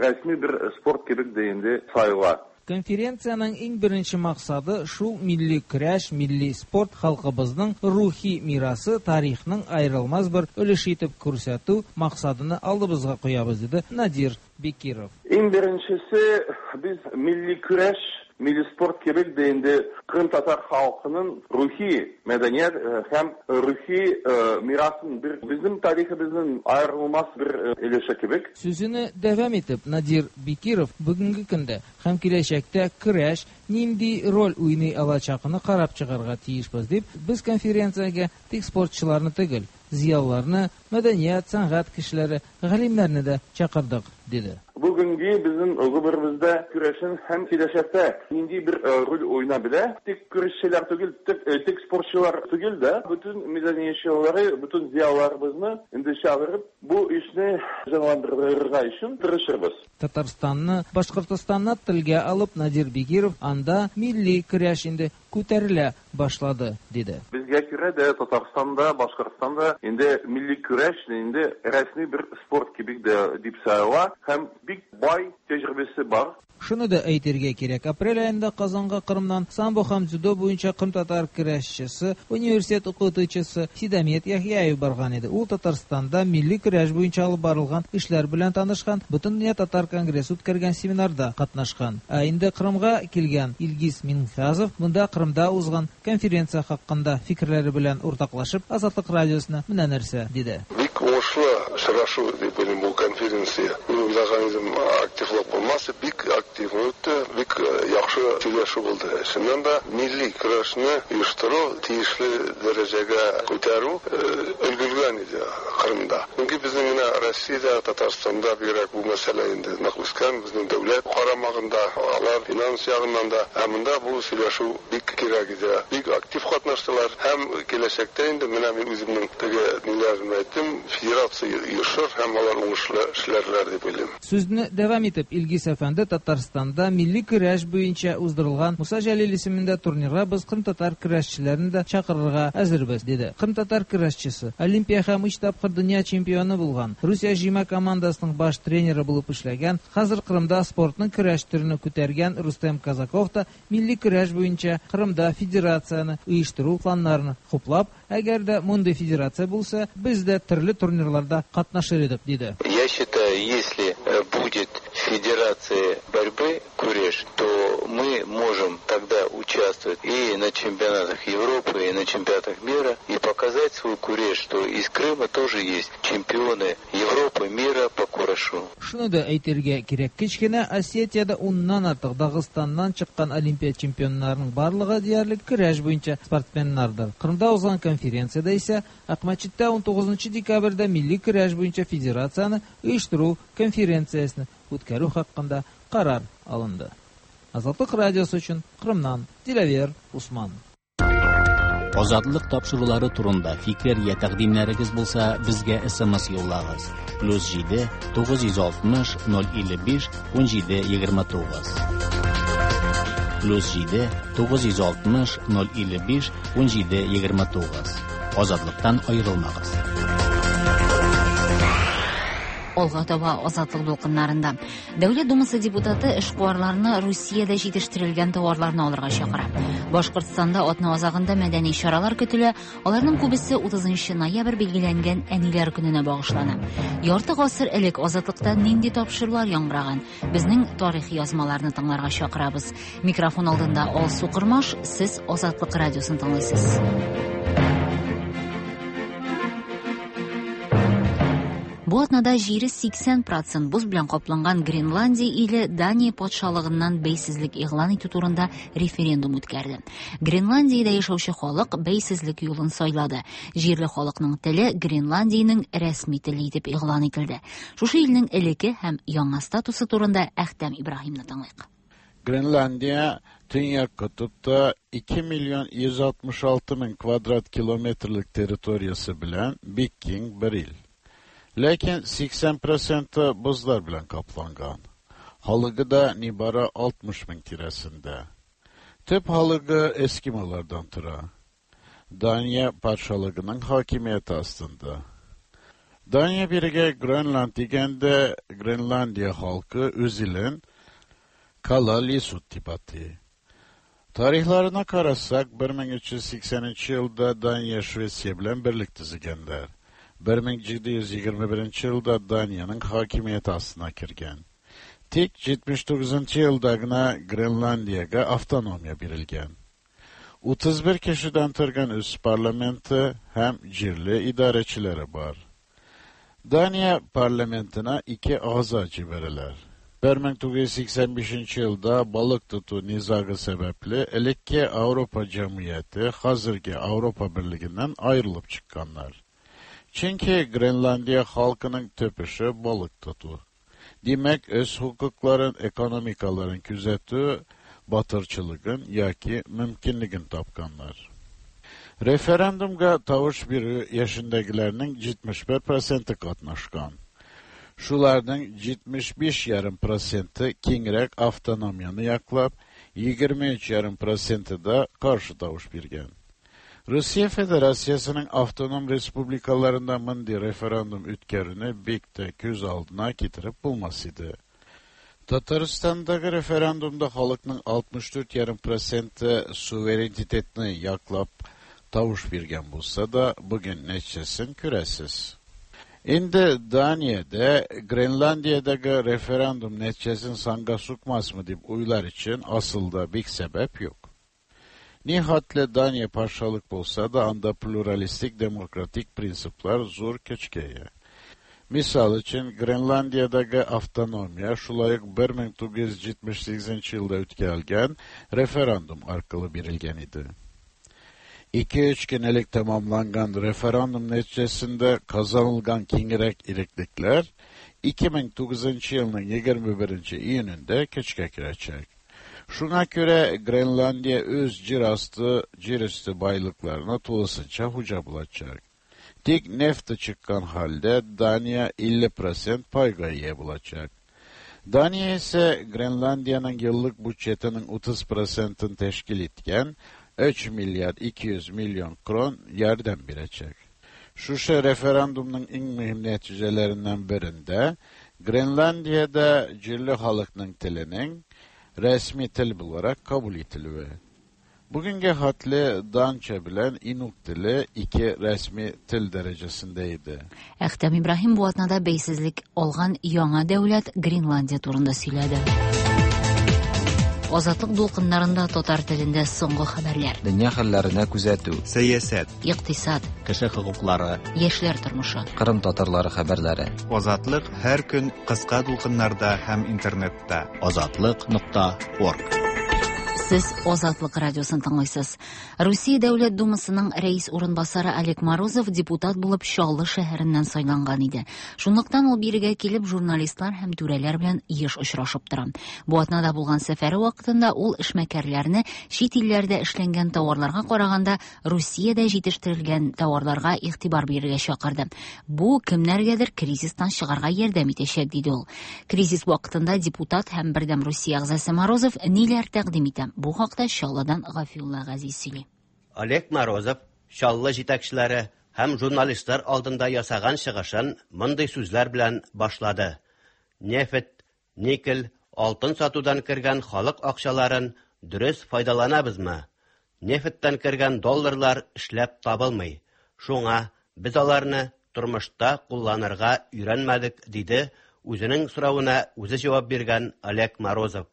рәсми бер спорт кебек дә инде санала. Конференциянең иң беренче максаты шул милли көрәш, милли спорт халкыбызның рухи мирасы, тарихның аерылмас бер өлеше итеп күрсәтү максатыны алдыбызга куябыз, диде Надир Бекиров. Иң беренчесе, без милли көрәш, милли спорт кебек дә инде кырымтатар халкының рухи мәдәният һәм рухи мирасын бер безнең тарихыбызның аерылмас бер өлеше кебек. Сүзене дәвам итеп, Надир Бекиров бүгенге көндә һәм киләчәктә көрәш нинди роль уйный алачагын карап чыгарга тиешбез дип, без конференциягә тик спортчыларны түгел, зыялыларны, мәдәният, сәнгать кешеләре, галимнәрне дә чакырдык, диде. Бүгенге безнең гомеребездә көрәшен һәм киләчәктә нинди бер роль уйнап белә, тик көрәшчеләр түгел, тик спортчылар түгел дә, бөтен мәдәниятчылары, бөтен зыялыларыбызны инде чакырып, бу эшне җанландырырга өчен тырышырбыз. Татарстанны, Башкортостанны телгә алып, Надир Бекиров анда милли көрәш инде күтәрелә башлады, диде. Безгә күрә дә Татарстанда, Башкортстанда инде милли көрәш инде рәсми бер спорт кебек дә дип санала һәм бик бай тәҗрибәсе бар. Шуны да әйтергә кирәк, апрель аенда Казанга Кырымнан самбо һәм дзюдо буенча кырымтатар көрәшчесе, университет укытучысы Сидамет Яхъяев барган иде. Ул Татарстанда милли көрәш буенча алып барылган эшләр белән танышкан, Бөтендөнья татар конгрессы үткәргән семинарда катнашкан. Ә инде Кырымга килгән Илгиз Минхазов монда Кырымда узган конференция хакында фикерләре белән уртаклашып, Азатлык радиосына менә нәрсә диде. Бик уңышлы очрашу дип уйлыйм бу конференция. Мин уйлаган идем, активлык булмас, бик актив үтте, бик яхшы сөйләшү булды. Чыннан да милли көрәшне оештыру, тиешле дәрәҗәгә күтәрү өлгергән иде Кырымда. Чөнки безнең менә Россиядә, Татарстанда бигрәк бу мәсьәлә инде нык үскән, безнең дәүләт карамагында, алар финанс ягыннан да, ә монда бу сөйләшү бик кирәк иде. Бик актив катнаштылар һәм киләчәктә инде менә мин үземнең теге ниләрен әйттем, федерация оешыр һәм алар уңышлы эшләрләр дип уйлыйм. Сүзне дәвам итеп, Илгиз әфәнде Татарстанда милли көрәш буенча уздырылган Муса Җәлил исемендә турнирга без кырымтатар көрәшчеләрен дә чакырырга әзербез, диде. Кырымтатар көрәшчесе, Олимпия һәм өч тапкыр дөнья чемпионы булган, Русия җыйма командасының баш тренеры булып эшләгән, хәзер Кырымда спортның көрәш төрен күтәргән Рустем Казаков та милли көрәш буенча Кырымда федерацияне оештыру планнарын хуплап, әгәр дә мондый федерация булса, без дә төрле турнирларда катнашыр идек, диде. Я считаю, если будет федерация борьбы куреш, то мы можем тогда участвовать и на чемпионатах Европы, и на чемпионатах мира, и показать свой куреш, что из Крыма тоже есть чемпионы Европы, мира по курешу. Шуны да әйтергә кирәк, кечкенә Осетиядә уннан артык Дагыстаннан чыккан Олимпия чемпионнарының барлыгы диярлек көрәш буенча спортсменнардыр. Кырымда узган конференциядә исә Акмәчеттә 19 декабрьдә милли көрәш буенча федерацияне оештыру конференциясен үткәрү хакында карар алынды. Азатлык радиосы өчен Кырымнан Диләвер Усман. Азатлык тапшырулары турында фикер я тәкъдимнәрегез булса, безгә SMS юллагыз. +7 960 055 17 29. +7 960 055 17 29. Азатлыктан аерылмагыз. Алга таба Азатлык дулкыннарында. Дәүләт Думасы депутаты эшкуарларны Русиядә җитештерелгән товарларны алырга чакыра. Башкортстанда атна азагында мәдәни чаралар көтелә. Аларның күбесе 30 ноябрь билгеләнгән Әниләр көненә багышлана. Ярты гасыр элек Азатлыкта нинди тапшырулар яңгыраган? Безнең тарихи язмаларны тыңларга чакырабыз. Микрофон алдында Алсу Кырмаш, сез Азатлык радиосын тыңлыйсыз. Бу атнада җире 80% боз белән капланган Гренландия иле Дания патшалыгыннан бәйсезлек игълан итү турында референдум үткәрде. Гренландиядә яшәүче халык бәйсезлек юлын сайлады. Җирле халыкның теле Гренландиянең рәсми теле итеп игълан ителде. Шушы илнең элекке һәм яңа статусы турында Әхтәм Ибраһимны тыңлыйк. Grenlandiya Tünyak kutupta 2 milyon 166 ming kvadrat kilometrlik territoriyasi bilan bik keng bir il. Lekin 80% buzlar bilan qaplangan. Xalqı da nibara 60 ming tirasinde. Tüp xalqı Eskimolardan tura. Daniya patshalığının hakimiyeti astında. Daniya biriga Grönland deganda Grenlandiya xalqı o'zilin Kalaallisut deb ataydi. Tarixlarına qarasak 1380 yılda Daniya Şvetsiya bilan birlik tuzganlar. 1721 yılda Daniyanın hakimiyeti astına kirgan. Tek 79 yıldagina Grenlandiyaga avtonomiya berilgan. 31 kishidan turgan o'z parlamenti ham yerli idarachilari bor. Daniya parlamentine 2 a'zo jibarilar. 1985 yılda balık tutu nizagı sebepli elikki Avrupa Cemiyeti hazırki Avrupa Birliğinden ayrılıp çıkkanlar. Çünkü Grenlandiya halkının töpüşü balık tutu. Demek öz hukukların, ekonomikaların küzetü batırçılığın yaki mümkünlüğün tapkanlar. Referandumga tavuş biri yaşındakilerinin 71% qatnaşkan. Şularning 75,5% kengroq avtonomiyani yoqlab, 23,5% da qarshi tovush bergan. Rossiya Federatsiyasining avtonom respublikalarida bunday referendum o'tkaruni bekda ko'z oldina keltirib bo'lmas edi. Tataristandagi referendumda xalqning 64,5% suverenitetni yoqlab tovush bergan bo'lsa-da, bugun nechasini ko'rasiz. Endi Daniyada Grenlandiyadagi referendum neticesini sanga sukmasmı deb o'ylar uchun aslida bek sabab yo'q. Nihoyatli Daniya patsholik bo'lsa da, anda pluralistik demokratik prinsiplar zo'r kuchga ega. Misol uchun Grenlandiyadagi avtonomiya shulay 1978 yilda o'tkazilgan referendum orqali berilgan edi. 2-3 kun elek tamamlangan referendum neticesinde kazanılgan kengroq irikliklar 2009 yılning 21 iyunida kuchga kiracak. Shunga ko'ra Grenlandiya o'z yer üstü boyliqlarini to'lisincha xuja bo'lacak. Tek nefti chiqqan holda Daniya 50% payga ega bo'lacak. Daniya esa Grenlandiyaning yillik budjetining 30%ini tashkil etgan 3 milyard 200 milyon kron yardım beracak. Şuşa referandumның eng mühim neticelerinden birinde Grenlandiyada yerli xalqning tilining resmi til olarak kabul etilüvi. Bugünkü hatli Dança bilan Inuk tili iki resmi til derecesindeydi. Әхтәм Ибраһим бу атнада бәйсезлек алган яңа дәүләт Гренландия турында сөйләде. Азатлык дулкыннарында татар телендә соңгы хәбәрләр. Дөнья хәлләренә күзәтү. Сәясәт, икътисад, кеше хокуклары, яшьләр тормышы. Кырым татарлары хәбәрләре. Азатлык һәр көн кыска дулкыннарда һәм интернетта. Азатлык.org. Сез Азатлык радиосын тыңлыйсыз. Русия Дәүләт Думасының рәис урынбасары Олег Морозов депутат булып Чаллы шәһәреннән сайланган иде. Шунлыктан ул бирегә килеп журналистлар һәм түрәләр белән еш очрашып тора. Бу атнада булган сәфәре вакытында ул эшмәкәрләрне чит илләрдә эшләнгән тауарларга караганда Русиядә җитештерелгән тауарларга игътибар бирергә чакырды. Бу кемнәргәдер кризистан чыгарга ярдәм итәчәк, диде ул. Кризис вакытында депутат һәм Бердәм Русия әгъзасы Морозов ниләр тәкъдим итә? Бу хакта Чаллыдан Гафиулла Газиз сөйли. Олег Морозов Чаллы җитәкчеләре һәм журналистлар алдында ясаган чыгышын мондый сүзләр белән башлады. Нефть, никель, алтын сатудан кергән халык акчаларын дөрес файдаланабызмы? Нефтьтән кергән долларлар эшләп табылмый. Шуңа без аларны тормышта кулланырга өйрәнмәдек, диде үзенең соравына үзе җавап биргән Олег Морозов.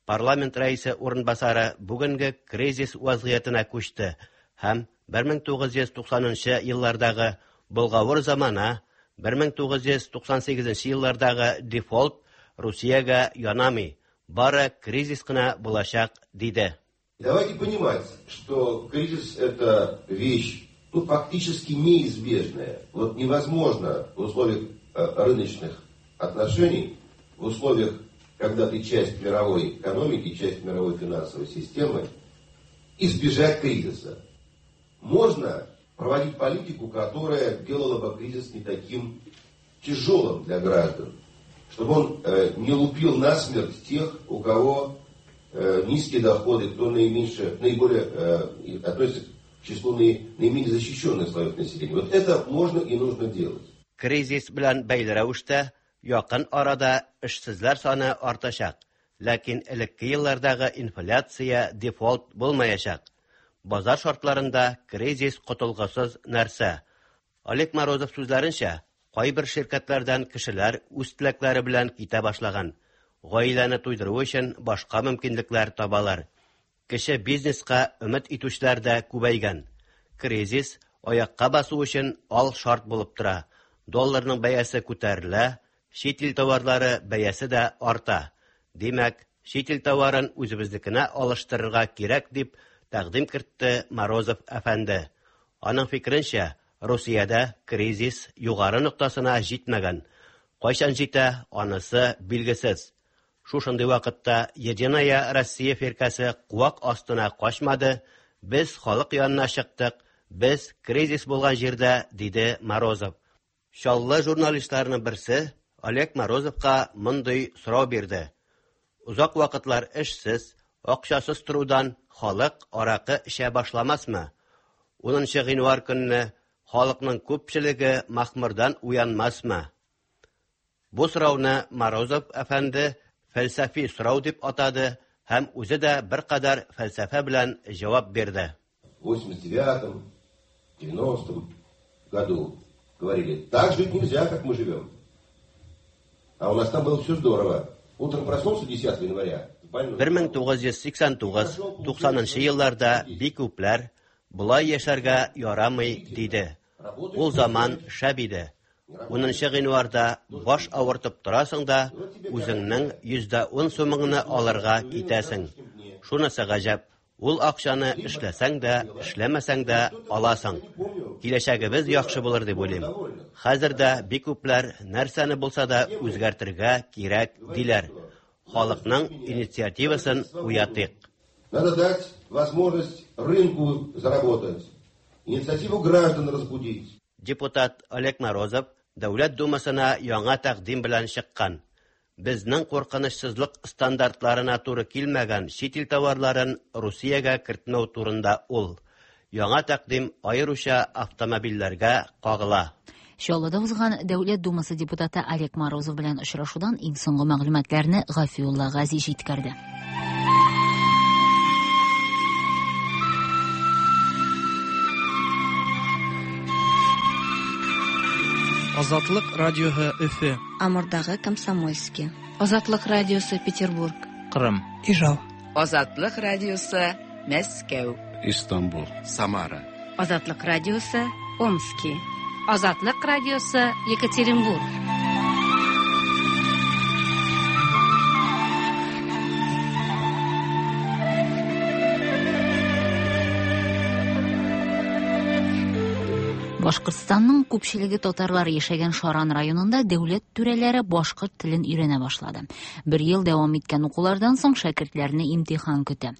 Парламент рәисе урынбасары бүгенге кризис вазгыятенә күчте һәм 1990 еллардагы болгавыр замана, 1998 еллардагы дефолт Русиягә янамый, бары кризис кына булачак, диде. Давайте понимать, что кризис это вещь, фактически неизбежная. Вот невозможно в условиях рыночных отношений, в условиях когда ты часть мировой экономики, часть мировой финансовой системы, избежать кризиса. Можно проводить политику, которая делала бы кризис не таким тяжелым для граждан, чтобы он не лупил насмерть тех, у кого низкие доходы, кто наименьше, наиболее относится к числу наименее защищенных слоев населения. Вот это можно и нужно делать. Кризис белән бәйле рәвештә якын арада эшсезләр саны артачак, ләкин элекке еллардагы инфляция, дефолт булмаячак. Базар шартларында кризис котылгысыз нәрсә. Олег Морозов сүзләренчә, кайбер ширкәтләрдән кешеләр үз теләкләре белән китә башлаган. Гаиләне туйдыру өчен башка мөмкинлекләр табалар. Кече бизнеска өмет итүчеләр дә күбәйгән. Кризис аякка басу өчен ал шарт булып тора. Долларның бәясе күтәрелә, чит ил товарлары бәясе дә арта. Димәк, чит ил товарын үзебезнекенә алыштырырга кирәк дип тәкъдим кертте Морозов әфәнде. Аның фикеренчә, Русиядә кризис югары ноктасына җитмәгән. Кайчан җитә, анысы билгесез. Шушындый вакытта Единая Россия фиркәсе куак астына качмады, без халык янына чыктык, без кризис булган җирдә, диде Морозов. Чаллы журналистларының берсе Олег Морозовка мондый сорау бирде. Озак вакытлар эшсез, акчасыз торудан халык аракы эчә башламасмы? 10 гыйнвар көнне халыкның күпчелеге махмырдан уянмасмы? Бу сорауны Морозов әфәнде фәлсәфи сорау дип атады һәм үзе дә беркадәр фәлсәфә белән җавап бирде. В 89-м, 90-м году говорили, так жить нельзя, как мы живем. А у нас там было все здорово. Утром проснулся 10 января. 1989-90 елларда бик күпләр болай яшәргә ярамый диде. Ул заман шәп иде. 10 гыйнварда баш авыртып торасың да, үзеңнең 10% сумыңны алырга китәсең. Шунысы гаҗәп, ул акчаны эшләсәң дә, эшләмәсәң дә аласың. Киләчәгебез яхшы булыр дип уйлыйм. Хәзер дә бик күпләр нәрсәне булса да үзгәртергә кирәк диләр. Халыкның инициативасын уятыйк. Надо дать возможность рынку заработать, инициативу граждан разбудить. Депутат Олег Морозов Дәүләт Думасына яңа тәкъдим белән чыккан. Безнең куркынычсызлык стандартларына туры килмәгән чит ил товарларын Русиягә кертмәү турында ул. Яңа тәкъдим аеруча автомобильләргә кагыла. Чаллыда узган Дәүләт Думасы депутаты Олег Морозов белән очрашудан иң соңгы мәгълүматларны Гафиулла Гази җиткерде. Азатлык радиоһы Өфе. Амурдагы Комсомольский. Азатлык радиосы Петербург. Кырым. Ижау. Азатлык радиосы Мәскәү. Истанбул. Самара. Азатлык радиосы Омски. Азатлык радиосы Екатеринбург. Башкортстанның күпчелеге татарлар яшәгән Шаран районында дәүләт түрәләре башкорт телен өйрәнә башлады. Бер ел дәвам иткән укулардан соң шәкертләрне имтихан көтә.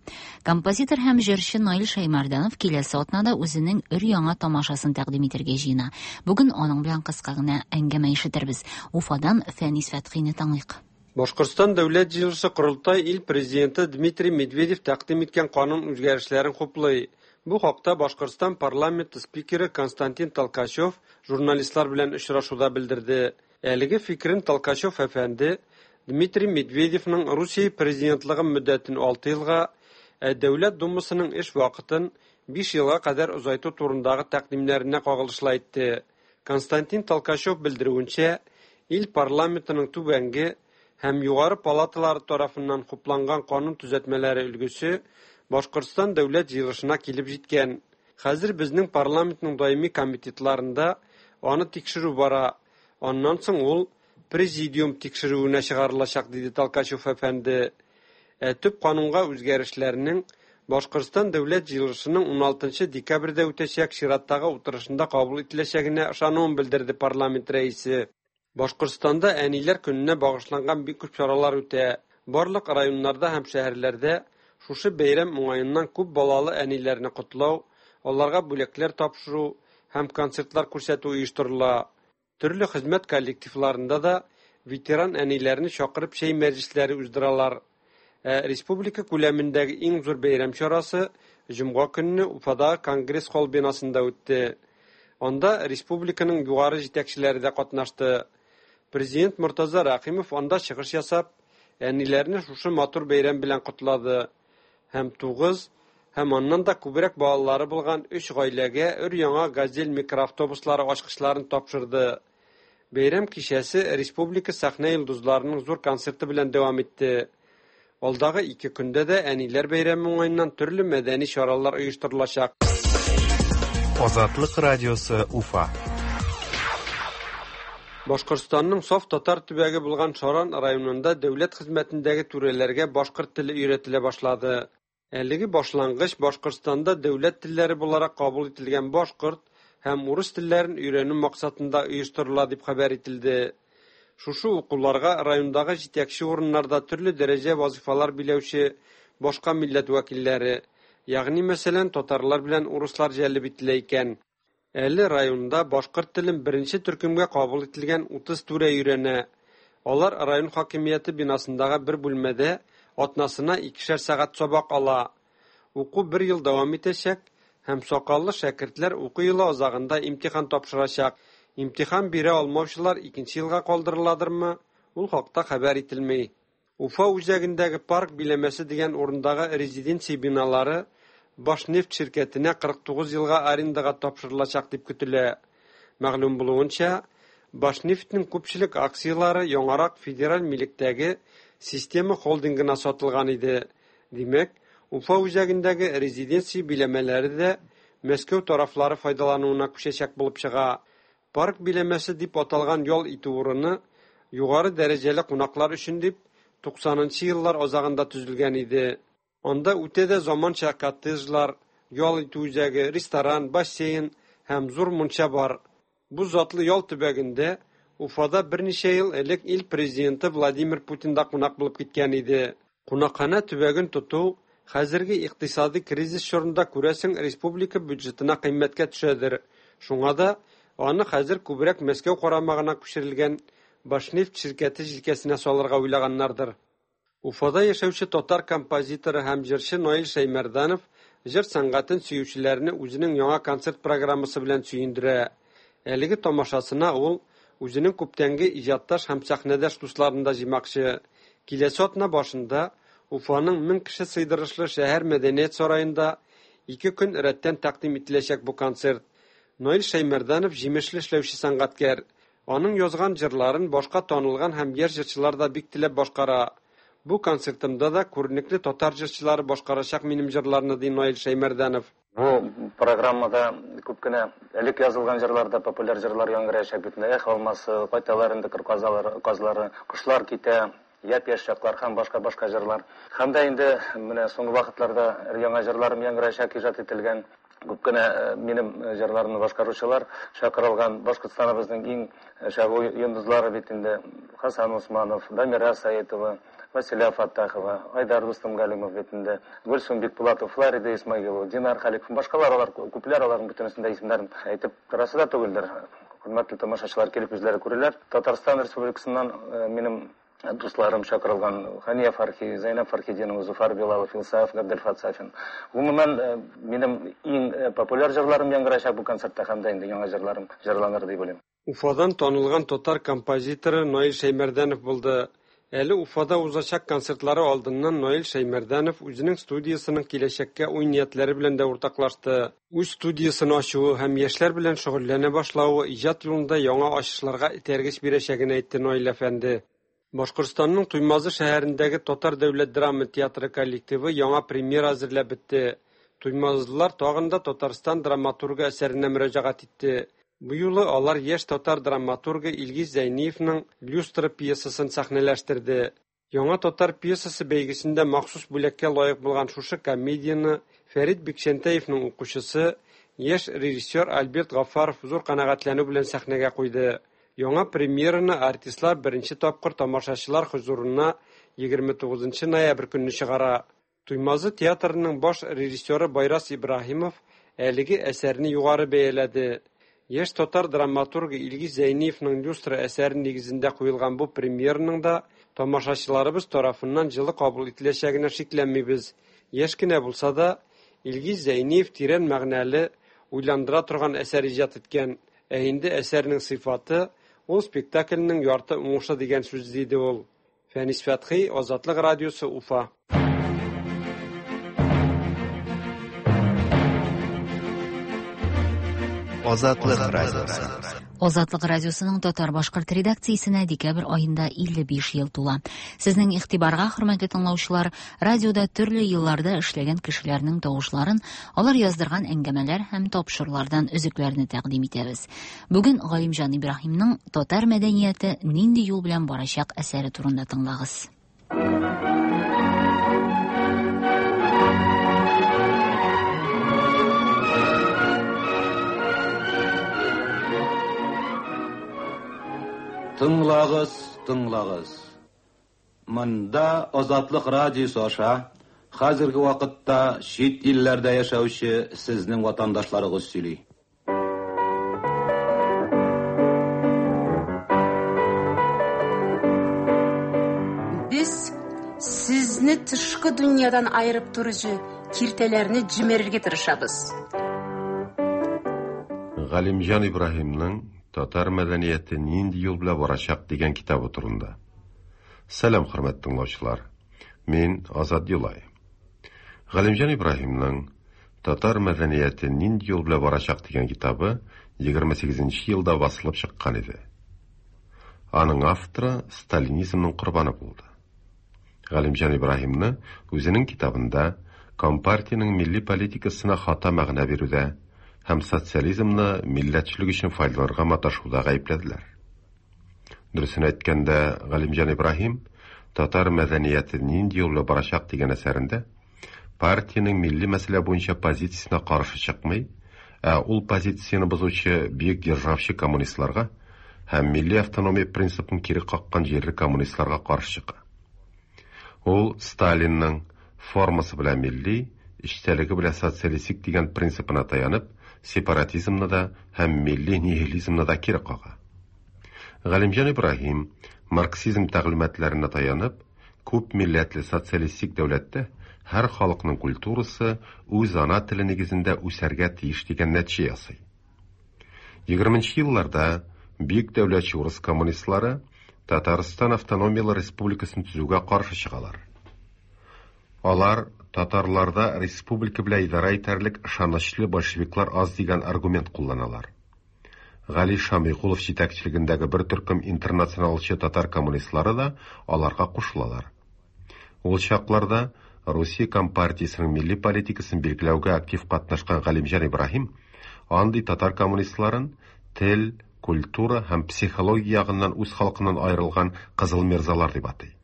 Композитор һәм җырчы Наил Шәймәрданов киләсе атнада үзенең өр-яңа тамашасын тәкъдим итәргә җыена. Бүген аның белән кыска гына әңгәмә ишетербез. Уфадан Фәнис Фәтхине тыңлыйк. Башкортстан Дәүләт җыелышы Корылтай ил президенты Дмитрий Медведев тәкъдим иткән канун үзгәрешләрен хуплый. Бу хакта Башкортстан парламенты спикеры Константин Толкачев журналистлар белән очрашуда белдерде. Әлеге фикерен Толкачев әфәнде Дмитрий Медведевның Русия президентлыгы мөддәтен 6 елга, ә Дәүләт Думасының эш вакытын 5 елга кадәр озайту турындагы тәкъдимнәренә кагылышлы әйтте. Константин Толкачев белдерүенчә, ил парламентының түбәнге һәм югары палаталары тарафыннан хупланган канун төзәтмәләре өлгесе Башкортстан Дәүләт җыелышына килеп җиткән. Хәзер безнең парламентның даими комитетларында аны тикшерү бара. Аннан соң ул президиум тикшерүенә чыгарылачак, диде Толкачев әфәнде. Ә төп канунга үзгәрешләрнең Башкортстан Дәүләт җыелышының 16 декабрьдә үтәчәк чираттагы утырышында кабул ителәчәгенә ышануын белдерде парламент рәисе. Башкортстанда әниләр көненә багышланган бик күп чаралар үтә. Барлык районнарда һәм шәһәрләрдә шушы бәйрәм уңаеннан күп балалы әниләрне котлау, аларга бүләкләр тапшыру һәм концертлар күрсәтү оештырыла. Төрле хезмәт коллективларында да ветеран әниләрне чакырып чәй мәҗлесләре уздыралар. Ә республика күләмендәге иң зур бәйрәм чарасы җомга көнне Уфадагы Конгресс-холл бинасында үтте. Анда республиканың югары җитәкчеләре дә катнашты. Президент Мортаза Рәхимов анда чыгыш ясап, әниләрне шушы матур бәйрәм белән котлады һәм 9 һәм аннан да күбрәк балалары булган өч гаиләгә өр-яңа «Газель» микроавтобуслары ачкычларын тапшырды. Бәйрәм кичәсе республика сәхнә йолдызларының зур концерты белән дәвам итте. Алдагы ике көндә дә әниләр бәйрәме уңаеннан төрле мәдәни чаралар оештырылачак. Азатлык радиосы Уфа. Башкортстанның саф татар төбәге булган Шаран районында дәүләт хезмәтендәге түрәләргә башкорт теле өйрәтелә башлады. Әлеге башлангыч Башкортстанда дәүләт телләре буларак кабул ителгән башкорт һәм урыс телләрен өйрәнү максатында оештырыла дип хәбәр ителде. Шушы укуларга райондагы җитәкче урыннарда төрле дәрәҗә вазифалар биләүче башка милләт вәкилләре, ягъни мәсәлән, татарлар белән урыслар җәлеп ителә икән. Әле районда башкорт телен беренче төркемгә кабул ителгән 30 түрә өйрәнә. Алар район хакимияте бинасындагы бер бүлмәдә атнасына икешәр сәгать сабак ала. Уку бер ел дәвам итәчәк һәм сакаллы шәкертләр уку елы азагында имтихан тапшырачак. Имтихан бирә алмаучылар икенче елга калдырыладырмы? Ул хакта хәбәр ителми. Уфа үзәгендәге парк биләмәсе дигән урындагы резиденция биналары Башнефть ширкәтенә 49 елга арендага тапшырылачак дип көтелә. Мәгълүм булуынча, Башнефтьнең күпчелек акцияләре яңарак федераль милектәге Система холдингына сатылган иде. Димәк, Уфа үзәгендәге резиденция биләмәләре дә Мәскәү тарафлары файдалануына күчәчәк булып чыга. Парк биләмәсе дип аталган ял итү урыны югары дәрәҗәле кунаклар өчен дип 90 нчы еллар азагында төзелгән иде. Анда үтә дә заманча коттеджлар, ял итү үзәге, ресторан, бассейн һәм зур мунча бар. Бу затлы ял төбәгендә Уфада берничә ел элек ил президенты Владимир Путин да кунак булып киткән иде. Кунакханә төбәген тоту хәзерге икътисади кризис чорында, күрәсең, республика бюджетына кыйммәткә төшәдер. Шуңа да аны хәзер күбрәк Мәскәү карамагына күчерелгән Башнефть ширкәте җилкәсенә салырга уйлаганнардыр. Уфада яшәүче татар композиторы һәм җырчы Наил Шәймәрданов җыр сәнгатен сөючеләрне үзенең яңа концерт программасы белән сөендерә. Әлеге тамашасына ул үзенең күптәнге иҗатташ һәм сәхнәдәш дусларын да җыймакчы. Киләсе атна башында Уфаның 1000 кеше сыйдырышлы шәһәр мәдәният сараенда ике көн рәттән тәкъдим ителәчәк бу концерт. Наил Шәймәрданов җимешле эшләүче сәнгатькәр. Аның язган җырларын башка танылган һәм яшь җырчылар да бик теләп башкара. Бу концертымда да күренекле татар җырчылары башкарачак минем җырларны, ди Наил Шәймәрданов. Бу программада күп кенә элек язылган җырлар да, популяр җырлар яңгыраячак бит инде. Эх, алмасы, кайталар инде кыр казлары, кошлар китә, япь-яшь чаклар һәм башка-башка җырлар. Һәм дә инде менә соңгы вакытларда яңа җырларым яңгыраячак, иҗат ителгән. Күп кенә минем җырларымны башкаручылар чакырылган. Башкортстаныбызның иң чагу йолдызлары бит инде Хасан Усманов, Дамира Саитова, Василя Фаттахова, Айдар Рустамгалимов бит инде, Гөлсум Бикбулатов, Флорида Исмагилова, Динар Халиков, башкалар, алар күпләр, аларның бөтенесен дә исемнәрен әйтеп торасы да түгелдер. Хөрмәтле тамашачылар килеп үзләре күрерләр. Татарстан Республикасыннан минем дусларым чакырылган: Хания Фархи, Зәйнәб Фархетдинова, Зуфар Билалов, Илсаф Габделфат Сафин. Гомумән, минем иң популяр җырларым яңгырачак бу концертта һәм дә инде яңа җырларым җырланыр дип уйлыйм. Уфадан танылган татар композиторы Наил Шәймәрданов булды. Әле Уфада узачак концертлары алдыннан Наил Шәймәрданов үзенең студиясенең киләчәккә уй-ниятләре белән дә уртаклашты. Үз студиясен ачуы һәм яшьләр белән шөгыльләнә башлавы иҗат юлында яңа ачышларга этәргеч бирәчәген әйтте Наил әфәнде. Башкортстанның Туймазы шәһәрендәге Татар дәүләт драма театры коллективы яңа премьера әзерләп бетте. Туймазылар тагын да Татарстан драматургы әсәренә мөрәҗәгать итте. Бу юлы алар яшь татар драматургы Илгиз Зәйниевның «Люстра» пьесасын сәхнәләштерде. Яңа татар пьесасы бәйгесендә махсус бүләккә лаек булган шушы комедияне Фәрит Бикчәнтәевның укучысы, яшь режиссер Альберт Гафаров зур канәгатьләнү белән сәхнәгә куйды. Яңа премьераны артистлар беренче тапкыр тамашачылар хозурына 29 ноябрь көнне чыгара. Туймазы театрының баш режиссеры Байрас Ибраһимов әлеге әсәрне югары бәяләде. Яшь татар драматургы Илгиз Зәйниевның «Люстра» әсәре нигезендә куелган бу премьераның да тамашачыларыбыз тарафыннан җылы кабул ителәчәгенә шикләнмибез. Яшь кенә булса да, Илгиз Зәйниев тирән мәгънәле, уйландыра торган әсәр иҗат иткән. Ә инде әсәрнең сыйфаты ул спектакльнең ярты уңышы дигән сүз, диде ул. Фәнис Фәтхи, Азатлык радиосы, Уфа. Азатлык радиосы. Азатлык радиосының татар-башкорт редакциясенә декабрь аенда 55 ел тула. Сезнең игътибарга, хөрмәтле тыңлаучылар, радиода төрле елларда эшләгән кешеләрнең тавышларын, алар яздырган әңгәмәләр һәм тапшырулардан өзекләрне тәкъдим итәбез. Бүген Галимҗан Ибраһимның Татар мәдәнияте нинди юл белән барачак әсәре турында тыңлагыз. Тыңлагыз, тыңлагыз. Монда Азатлык радиосы аша хәзерге вакытта чит илләрдә яшәүче сезнең ватандашларыгыз сөйли. Без сезне тышкы дөньядан аерып торучы киртәләрне җимерергә тырышабыз. Галимҗан Ибраһимның Татар мәдәнияте нинди юл белән барачак дигән китабы турында. Сәлам, хөрмәтле тыңлаучылар. Мин Азат Юлай. Галимҗан Ибраһимның Татар мәдәнияте нинди юл белән барачак дигән китабы 28 нче елда басылып чыккан иде. Аның авторы сталинизмның корбаны булды. Галимҗан Ибраһимны үзенең китабында Компартиянең милли политикасына хата мәгънә бирүдә һәм социализмны милләтчелек өчен файдаланырга маташуда гаепләделәр. Дөресен әйткәндә, Галимҗан Ибраһим Татар мәдәнияте нинди юл белән барачак дигән әсәрендә партиянең милли мәсьәлә буенча позициясенә каршы чыкмый, ә ул позицияне бозучы бөек державчы коммунистларга һәм милли автономия принципын кире каккан җирле коммунистларга каршы чыга. Ул Сталинның формасы белән милли, эчтәлеге белән социалистик дигән принципына таянып, сепаратизмны да һәм милли нигилизмны да кире кага. Галимҗан Ибраһим марксизм тәгълиматларына таянып, күп милләтле социалистик дәүләттә һәр халыкның культурасы үз ана теле нигезендә үсәргә тиеш дигән нәтиҗә ясый. 20 елларда бөек дәүләтче урыс коммунистлары Татарстан автономияле республикасын төзүгә каршы чыгалар. Алар татарларда республика белән идарә итәрлек ышанычлы большевиклар аз дигән аргумент кулланалар. Гали Шамикулов җитәкчелегендәге бер төркем интернационалчы татар коммунистлары да аларга кушылалар. Ул чакларда Русия Компартиясенең милли политикасын билгеләүгә актив катнашкан Галимҗан Ибраһим андый татар коммунистларын тел, культура һәм психология ягыннан үз халкыннан аерылган кызыл мирзалар дип атый.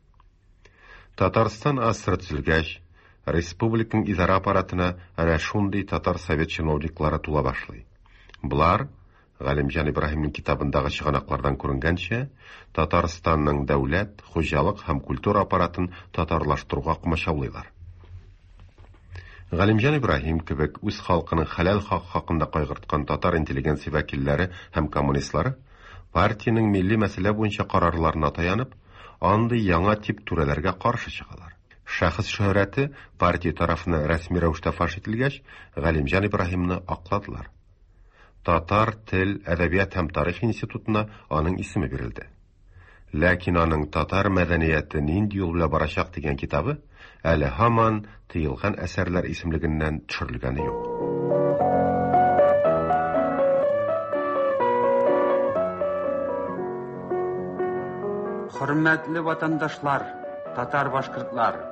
Татарстан АССР төзелгәч, республиканың идарә аппаратына әнә шундый татар совет чиновниклары тула башлый. Болар, Галимҗан Ибраһимның китабындагы чыганаклардан күренгәнчә, Татарстанның дәүләт, хуҗалык һәм культура аппаратын татарлаштыруга комачаулыйлар. Галимҗан Ибраһим кебек үз халкының хәләл хакы хакында кайгырткан татар интеллигенция вәкилләре һәм коммунистлары партиянең милли мәсьәлә буенча карарларына таянып, андый яңа тип түрәләргә каршы чыгалар. Шәхес шөһрәте партия тарафыннан рәсми рәвештә фаш ителгәч, Галимҗан Ибраһимны акладылар. Татар тел, әдәбият һәм тарих институтына аның исеме бирелде. Ләкин аның Татар мәдәнияте нинди юл белән барачак дигән китабы әле һаман тыелган әсәрләр исемлегеннән төшерелгәне юк. Хөрмәтле ватандашлар, татар-башкортлар!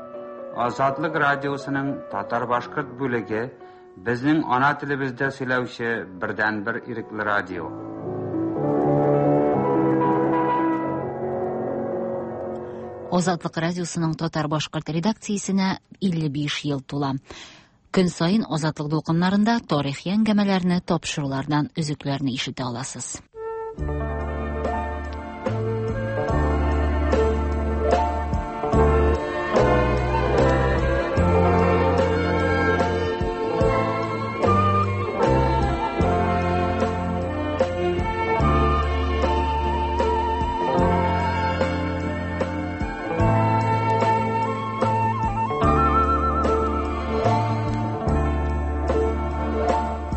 Азатлык радиосының татар-башкорт бүлеге безнең ана телебездә сөйләүче бердәнбер ирекле радио. Азатлык радиосының татар-башкорт редакциясенә 55 ел тула. Көн саен Азатлык дулкыннарында тарихи әңгәмәләрне, тапшырулардан өзекләрне ишетә аласыз.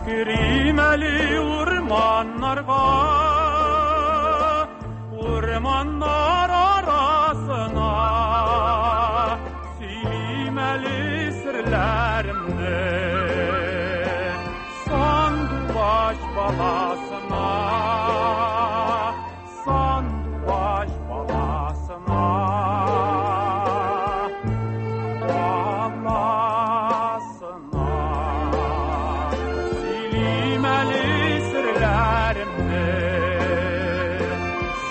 Керим әле урманнарга, урманнар арасына. Сөйлим әле серләремне сандугач баласына, сандугач баласына. Баласына. Сөйлим әле серләремне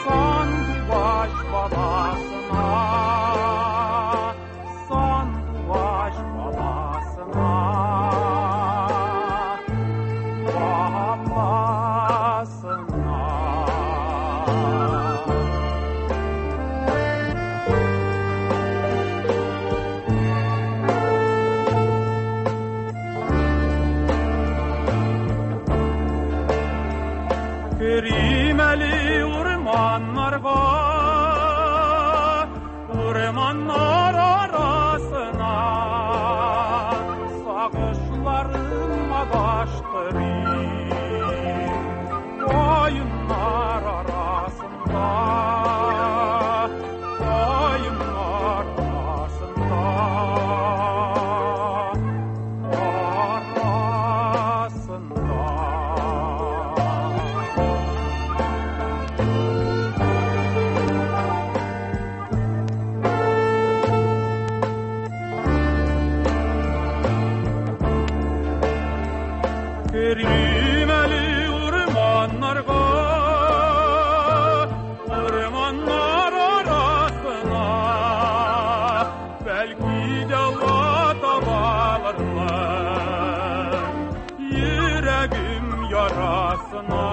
сандугач баласына, сандугач баласына. Баласына. Керим әле урманнарга, урманнар арасына. Сагышларым адаштырыйм каеннар арасында, каеннар арасында, арасында. Керим әле урманнарга, урманнар арасына. Бәлки дәва табалармын йөрәгем ярасына,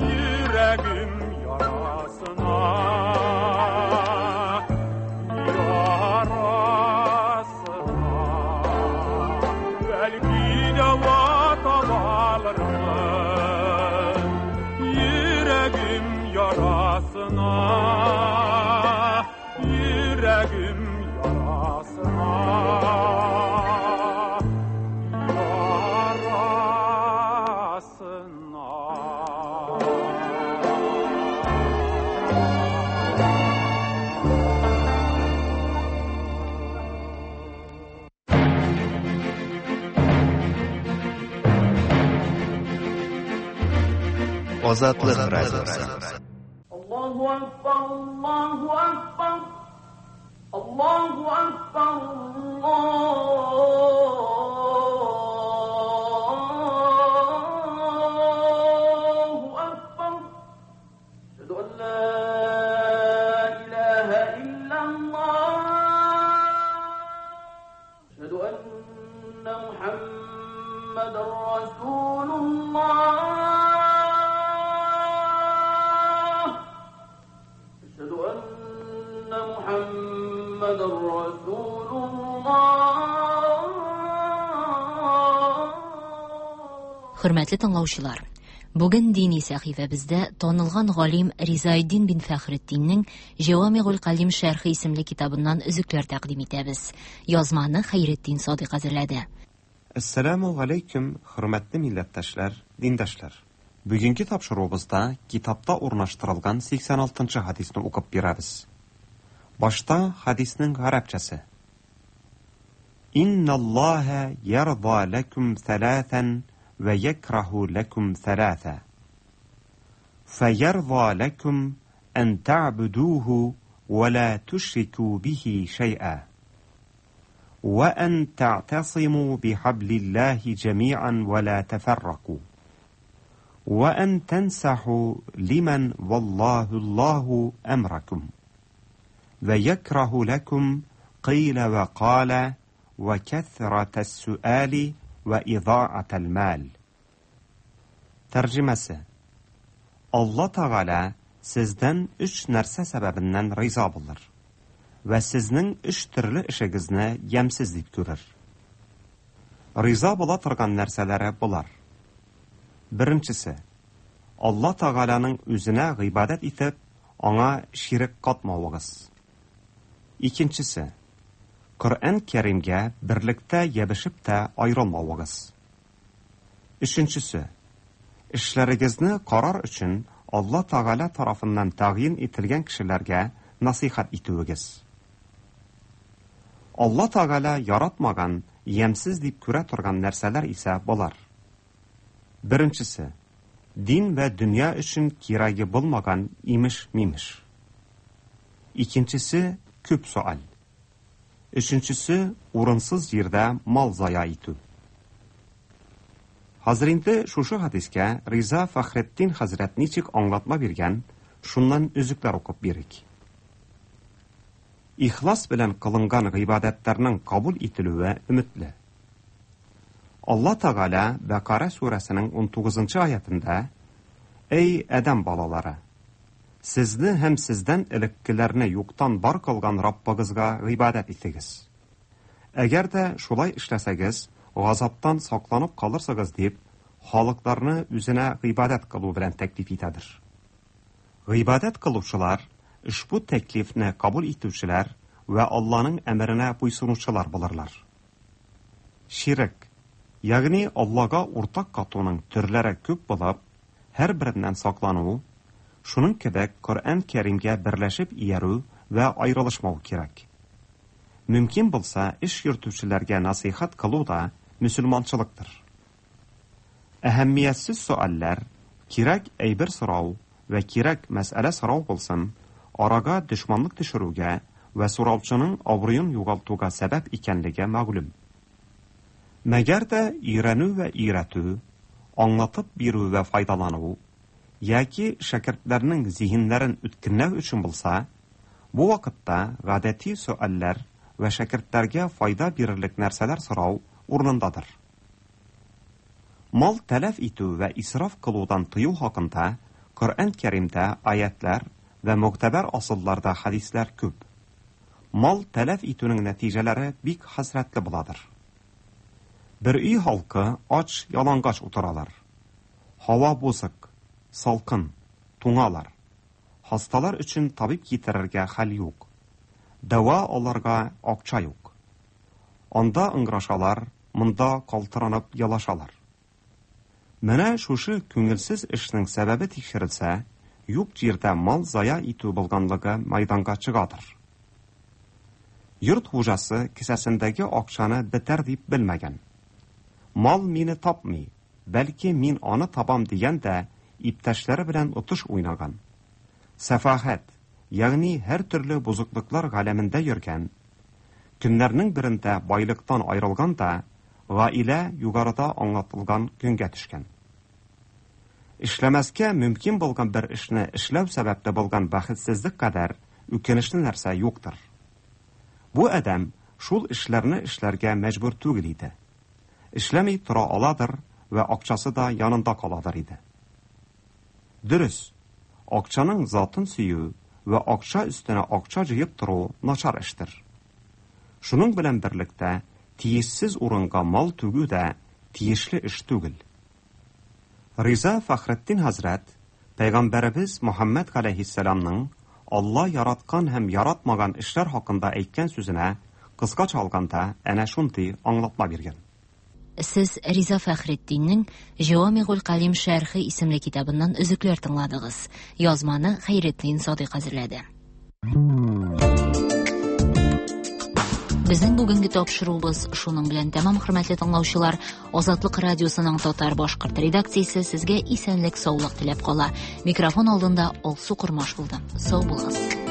йөрәгем ярасына, ярасына. Бәлки дәва табалармын йөрәгем ярасына, йөрәгем ярасына, ярасына. Азатлык радиосы. Allahu Akbar, Allahu Akbar, Allahu Akbar, Allahu Akbar. Ashhadu an la ilaha illa Allah. Ashhadu anna Muhammadan Rasulullah. أشهد أن محمدا رسول الله. Хөрмәтле тыңлаучылар, бүген дини сәхифәбездә танылган галим Ризаэддин бин Фәхретдиннең Җәвамигуль Калим шәрхе исемле китабыннан өзекләр тәкъдим итәбез. Язманы Хәйретдин Садыйк әзерләде. Әссәламү галәйкүм, хөрмәтле милләттәшләр, диндашлар. Бүгенге тапшыруыбызда китапта урнаштырылган 86 нчы хадисны укып бирәбез. Башта хадисның гарәпчәсе. Инналлаһа ярда ләкум сәләсән вә якраһу ләкум сәләсә. Фәярда ләкум ән та'будуһу вә ла тушрику бихи шәй'a. وأن تعتصموا بحبل الله جميعا ولا تفرقوا وأن تنسحوا لمن والله الله أمركم ويكره لكم قيل وقال وكثرة السؤال وإضاعة المال. Тәрҗемәсе: Алла Тәгалә сездән өч нәрсә сәбәбеннән риза булыр вә сезнең өч төрле эшегезне ямьсез дип күрер. Риза була торган нәрсәләре болар. Беренчесе, Алла Тәгаләнең үзенә гыйбадәт итеп, аңа ширек катмавыгыз. Икенчесе, Коръән Кәримгә берлектә ябышып та аерылмавыгыз. Өченчесе. Эшләрегезне карар өчен Алла Тәгалә тарафыннан тәгъйин ителгән кешеләргә насыйхәт итүегез. Алла Тәгалә яратмаган, ямьсез дип күрә торган нәрсәләр исә болар. Беренчесе. Дин вә дөнья өчен кирәге булмаган имеш-мимеш. Икенчесе, күп сөаль. Өченчесе, урынсыз җирдә мал зая итү. Хәзер инде шушы хәдискә Риза Фәхретдин хәзрәт ничек аңлатма биргән, шуннан өзекләр укып бирик. Ихлас белән кылынган гыйбадәтләрнең кабул ителүе өметле. Алла Тәгалә Бәкара сүрәсенең 19 нчы аятендә, Әй, адәм балалары! Сезне һәм сездән элеккеләрне юктан бар кылган Раббыгызга гыйбадәт итегез. Әгәр дә шулай эшләсәгез, газаптан сакланып калырсыгыз, дип, халыкларны үзенә гыйбадәт кылу белән тәклиф итәдер. Гыйбадәт кылучылар, ошбу тәклифне кабул итүчеләр вә Алланың әмеренә буйсынучылар булырлар. Ширек, ягъни Аллага уртак катуның төрләре күп булып, һәрбереннән саклану, шуның кебек Коръән Кәримгә берләшеп иярү вә аерылышмау кирәк. Мөмкин булса, эш йөртүчеләргә насыйхәт кылу да мөселманчылыктыр. Әһәмиятсез сөальләр, кирәк әйбер сорау вә кирәк мәсьәлә сорау булсын, арага дошманлык төшерүгә вә сораучының абруен югалтуга сәбәп икәнлеге мәгълүм. Мәгәр дә өйрәнү вә өйрәтү, аңлатып бирү вә файдалану яки шәкертләрнең зиһеннәрен үткенләү өчен булса, бу вакытта гадәти сөальләр вә шәкертләргә файда бирерлек нәрсәләр сорау урынындадыр. Мал тәләф итү вә исраф кылудан тыю хакында Коръән Кәримдә аятьләр вә могтәбәр асылларда хәдисләр күп. Мал тәләф итүнең нәтиҗәләре бик хәсрәтле буладыр. Бер өй халкы ач, ялангач утыралар. Һава бозык, салкын, туңалар. Хасталар өчен табиб китерергә хәл юк. Дәва алырга акча юк. Анда ыңгырашалар, монда калтыранып елашалар. Менә шушы күңелсез эшнең сәбәбе тикшерелсә, юк җирдә мал зая итү булганлыгы мәйданга чыгадыр. Йорт хуҗасы кесәсендәге акчаны бетәр дип белмәгән. Мал мине тапмый, бәлки мин аны табам дигән дә иптәшләре белән отыш уйнаган. Сәфахәт, ягъни һәртөрле бозыклыклар галәмендә йөргән, көннәрнең берендә байлыктан аерылган да, гаилә югарыда аңлатылган көнгә төшкән. Эшләмәскә мөмкин булган бер эшне эшләү сәбәпле булган бәхетсезлек кадәр үкенечле нәрсә юктыр. Бу адәм шул эшләрне эшләргә мәҗбүр түгел иде. Эшләми тора аладыр вә акчасы да янында каладыр иде. Дөрес, акчаның затын сөю вә акча өстенә акча җыеп тору начар эштер. Шуның белән берлектә тиешсез урынга мал түгү дә тиешле эш түгел. Риза Фәхретдин хәзрәт пәйгамбәребез Мөхәммәд галәйһиссәламның Алла яраткан һәм яратмаган эшләр хакында әйткән сүзенә кыскача алганда әнә шундый аңлатма биргән. Сез Риза Фәхретдиннең Җавамигуль Калим шәрхе исемле китабыннан өзекләр тыңладыгыз. Язманы Хәйретдин Садыйк әзерләде. Безнең бүгенге тапшыруыбыз шуның белән тәмам, хөрмәтле тыңлаучылар. Азатлык радиосының татар башкорт редакциясе сезгә исәнлек, саулык теләп кала. Микрофон алдында Алсу Кормаш булды. Сау булыгыз.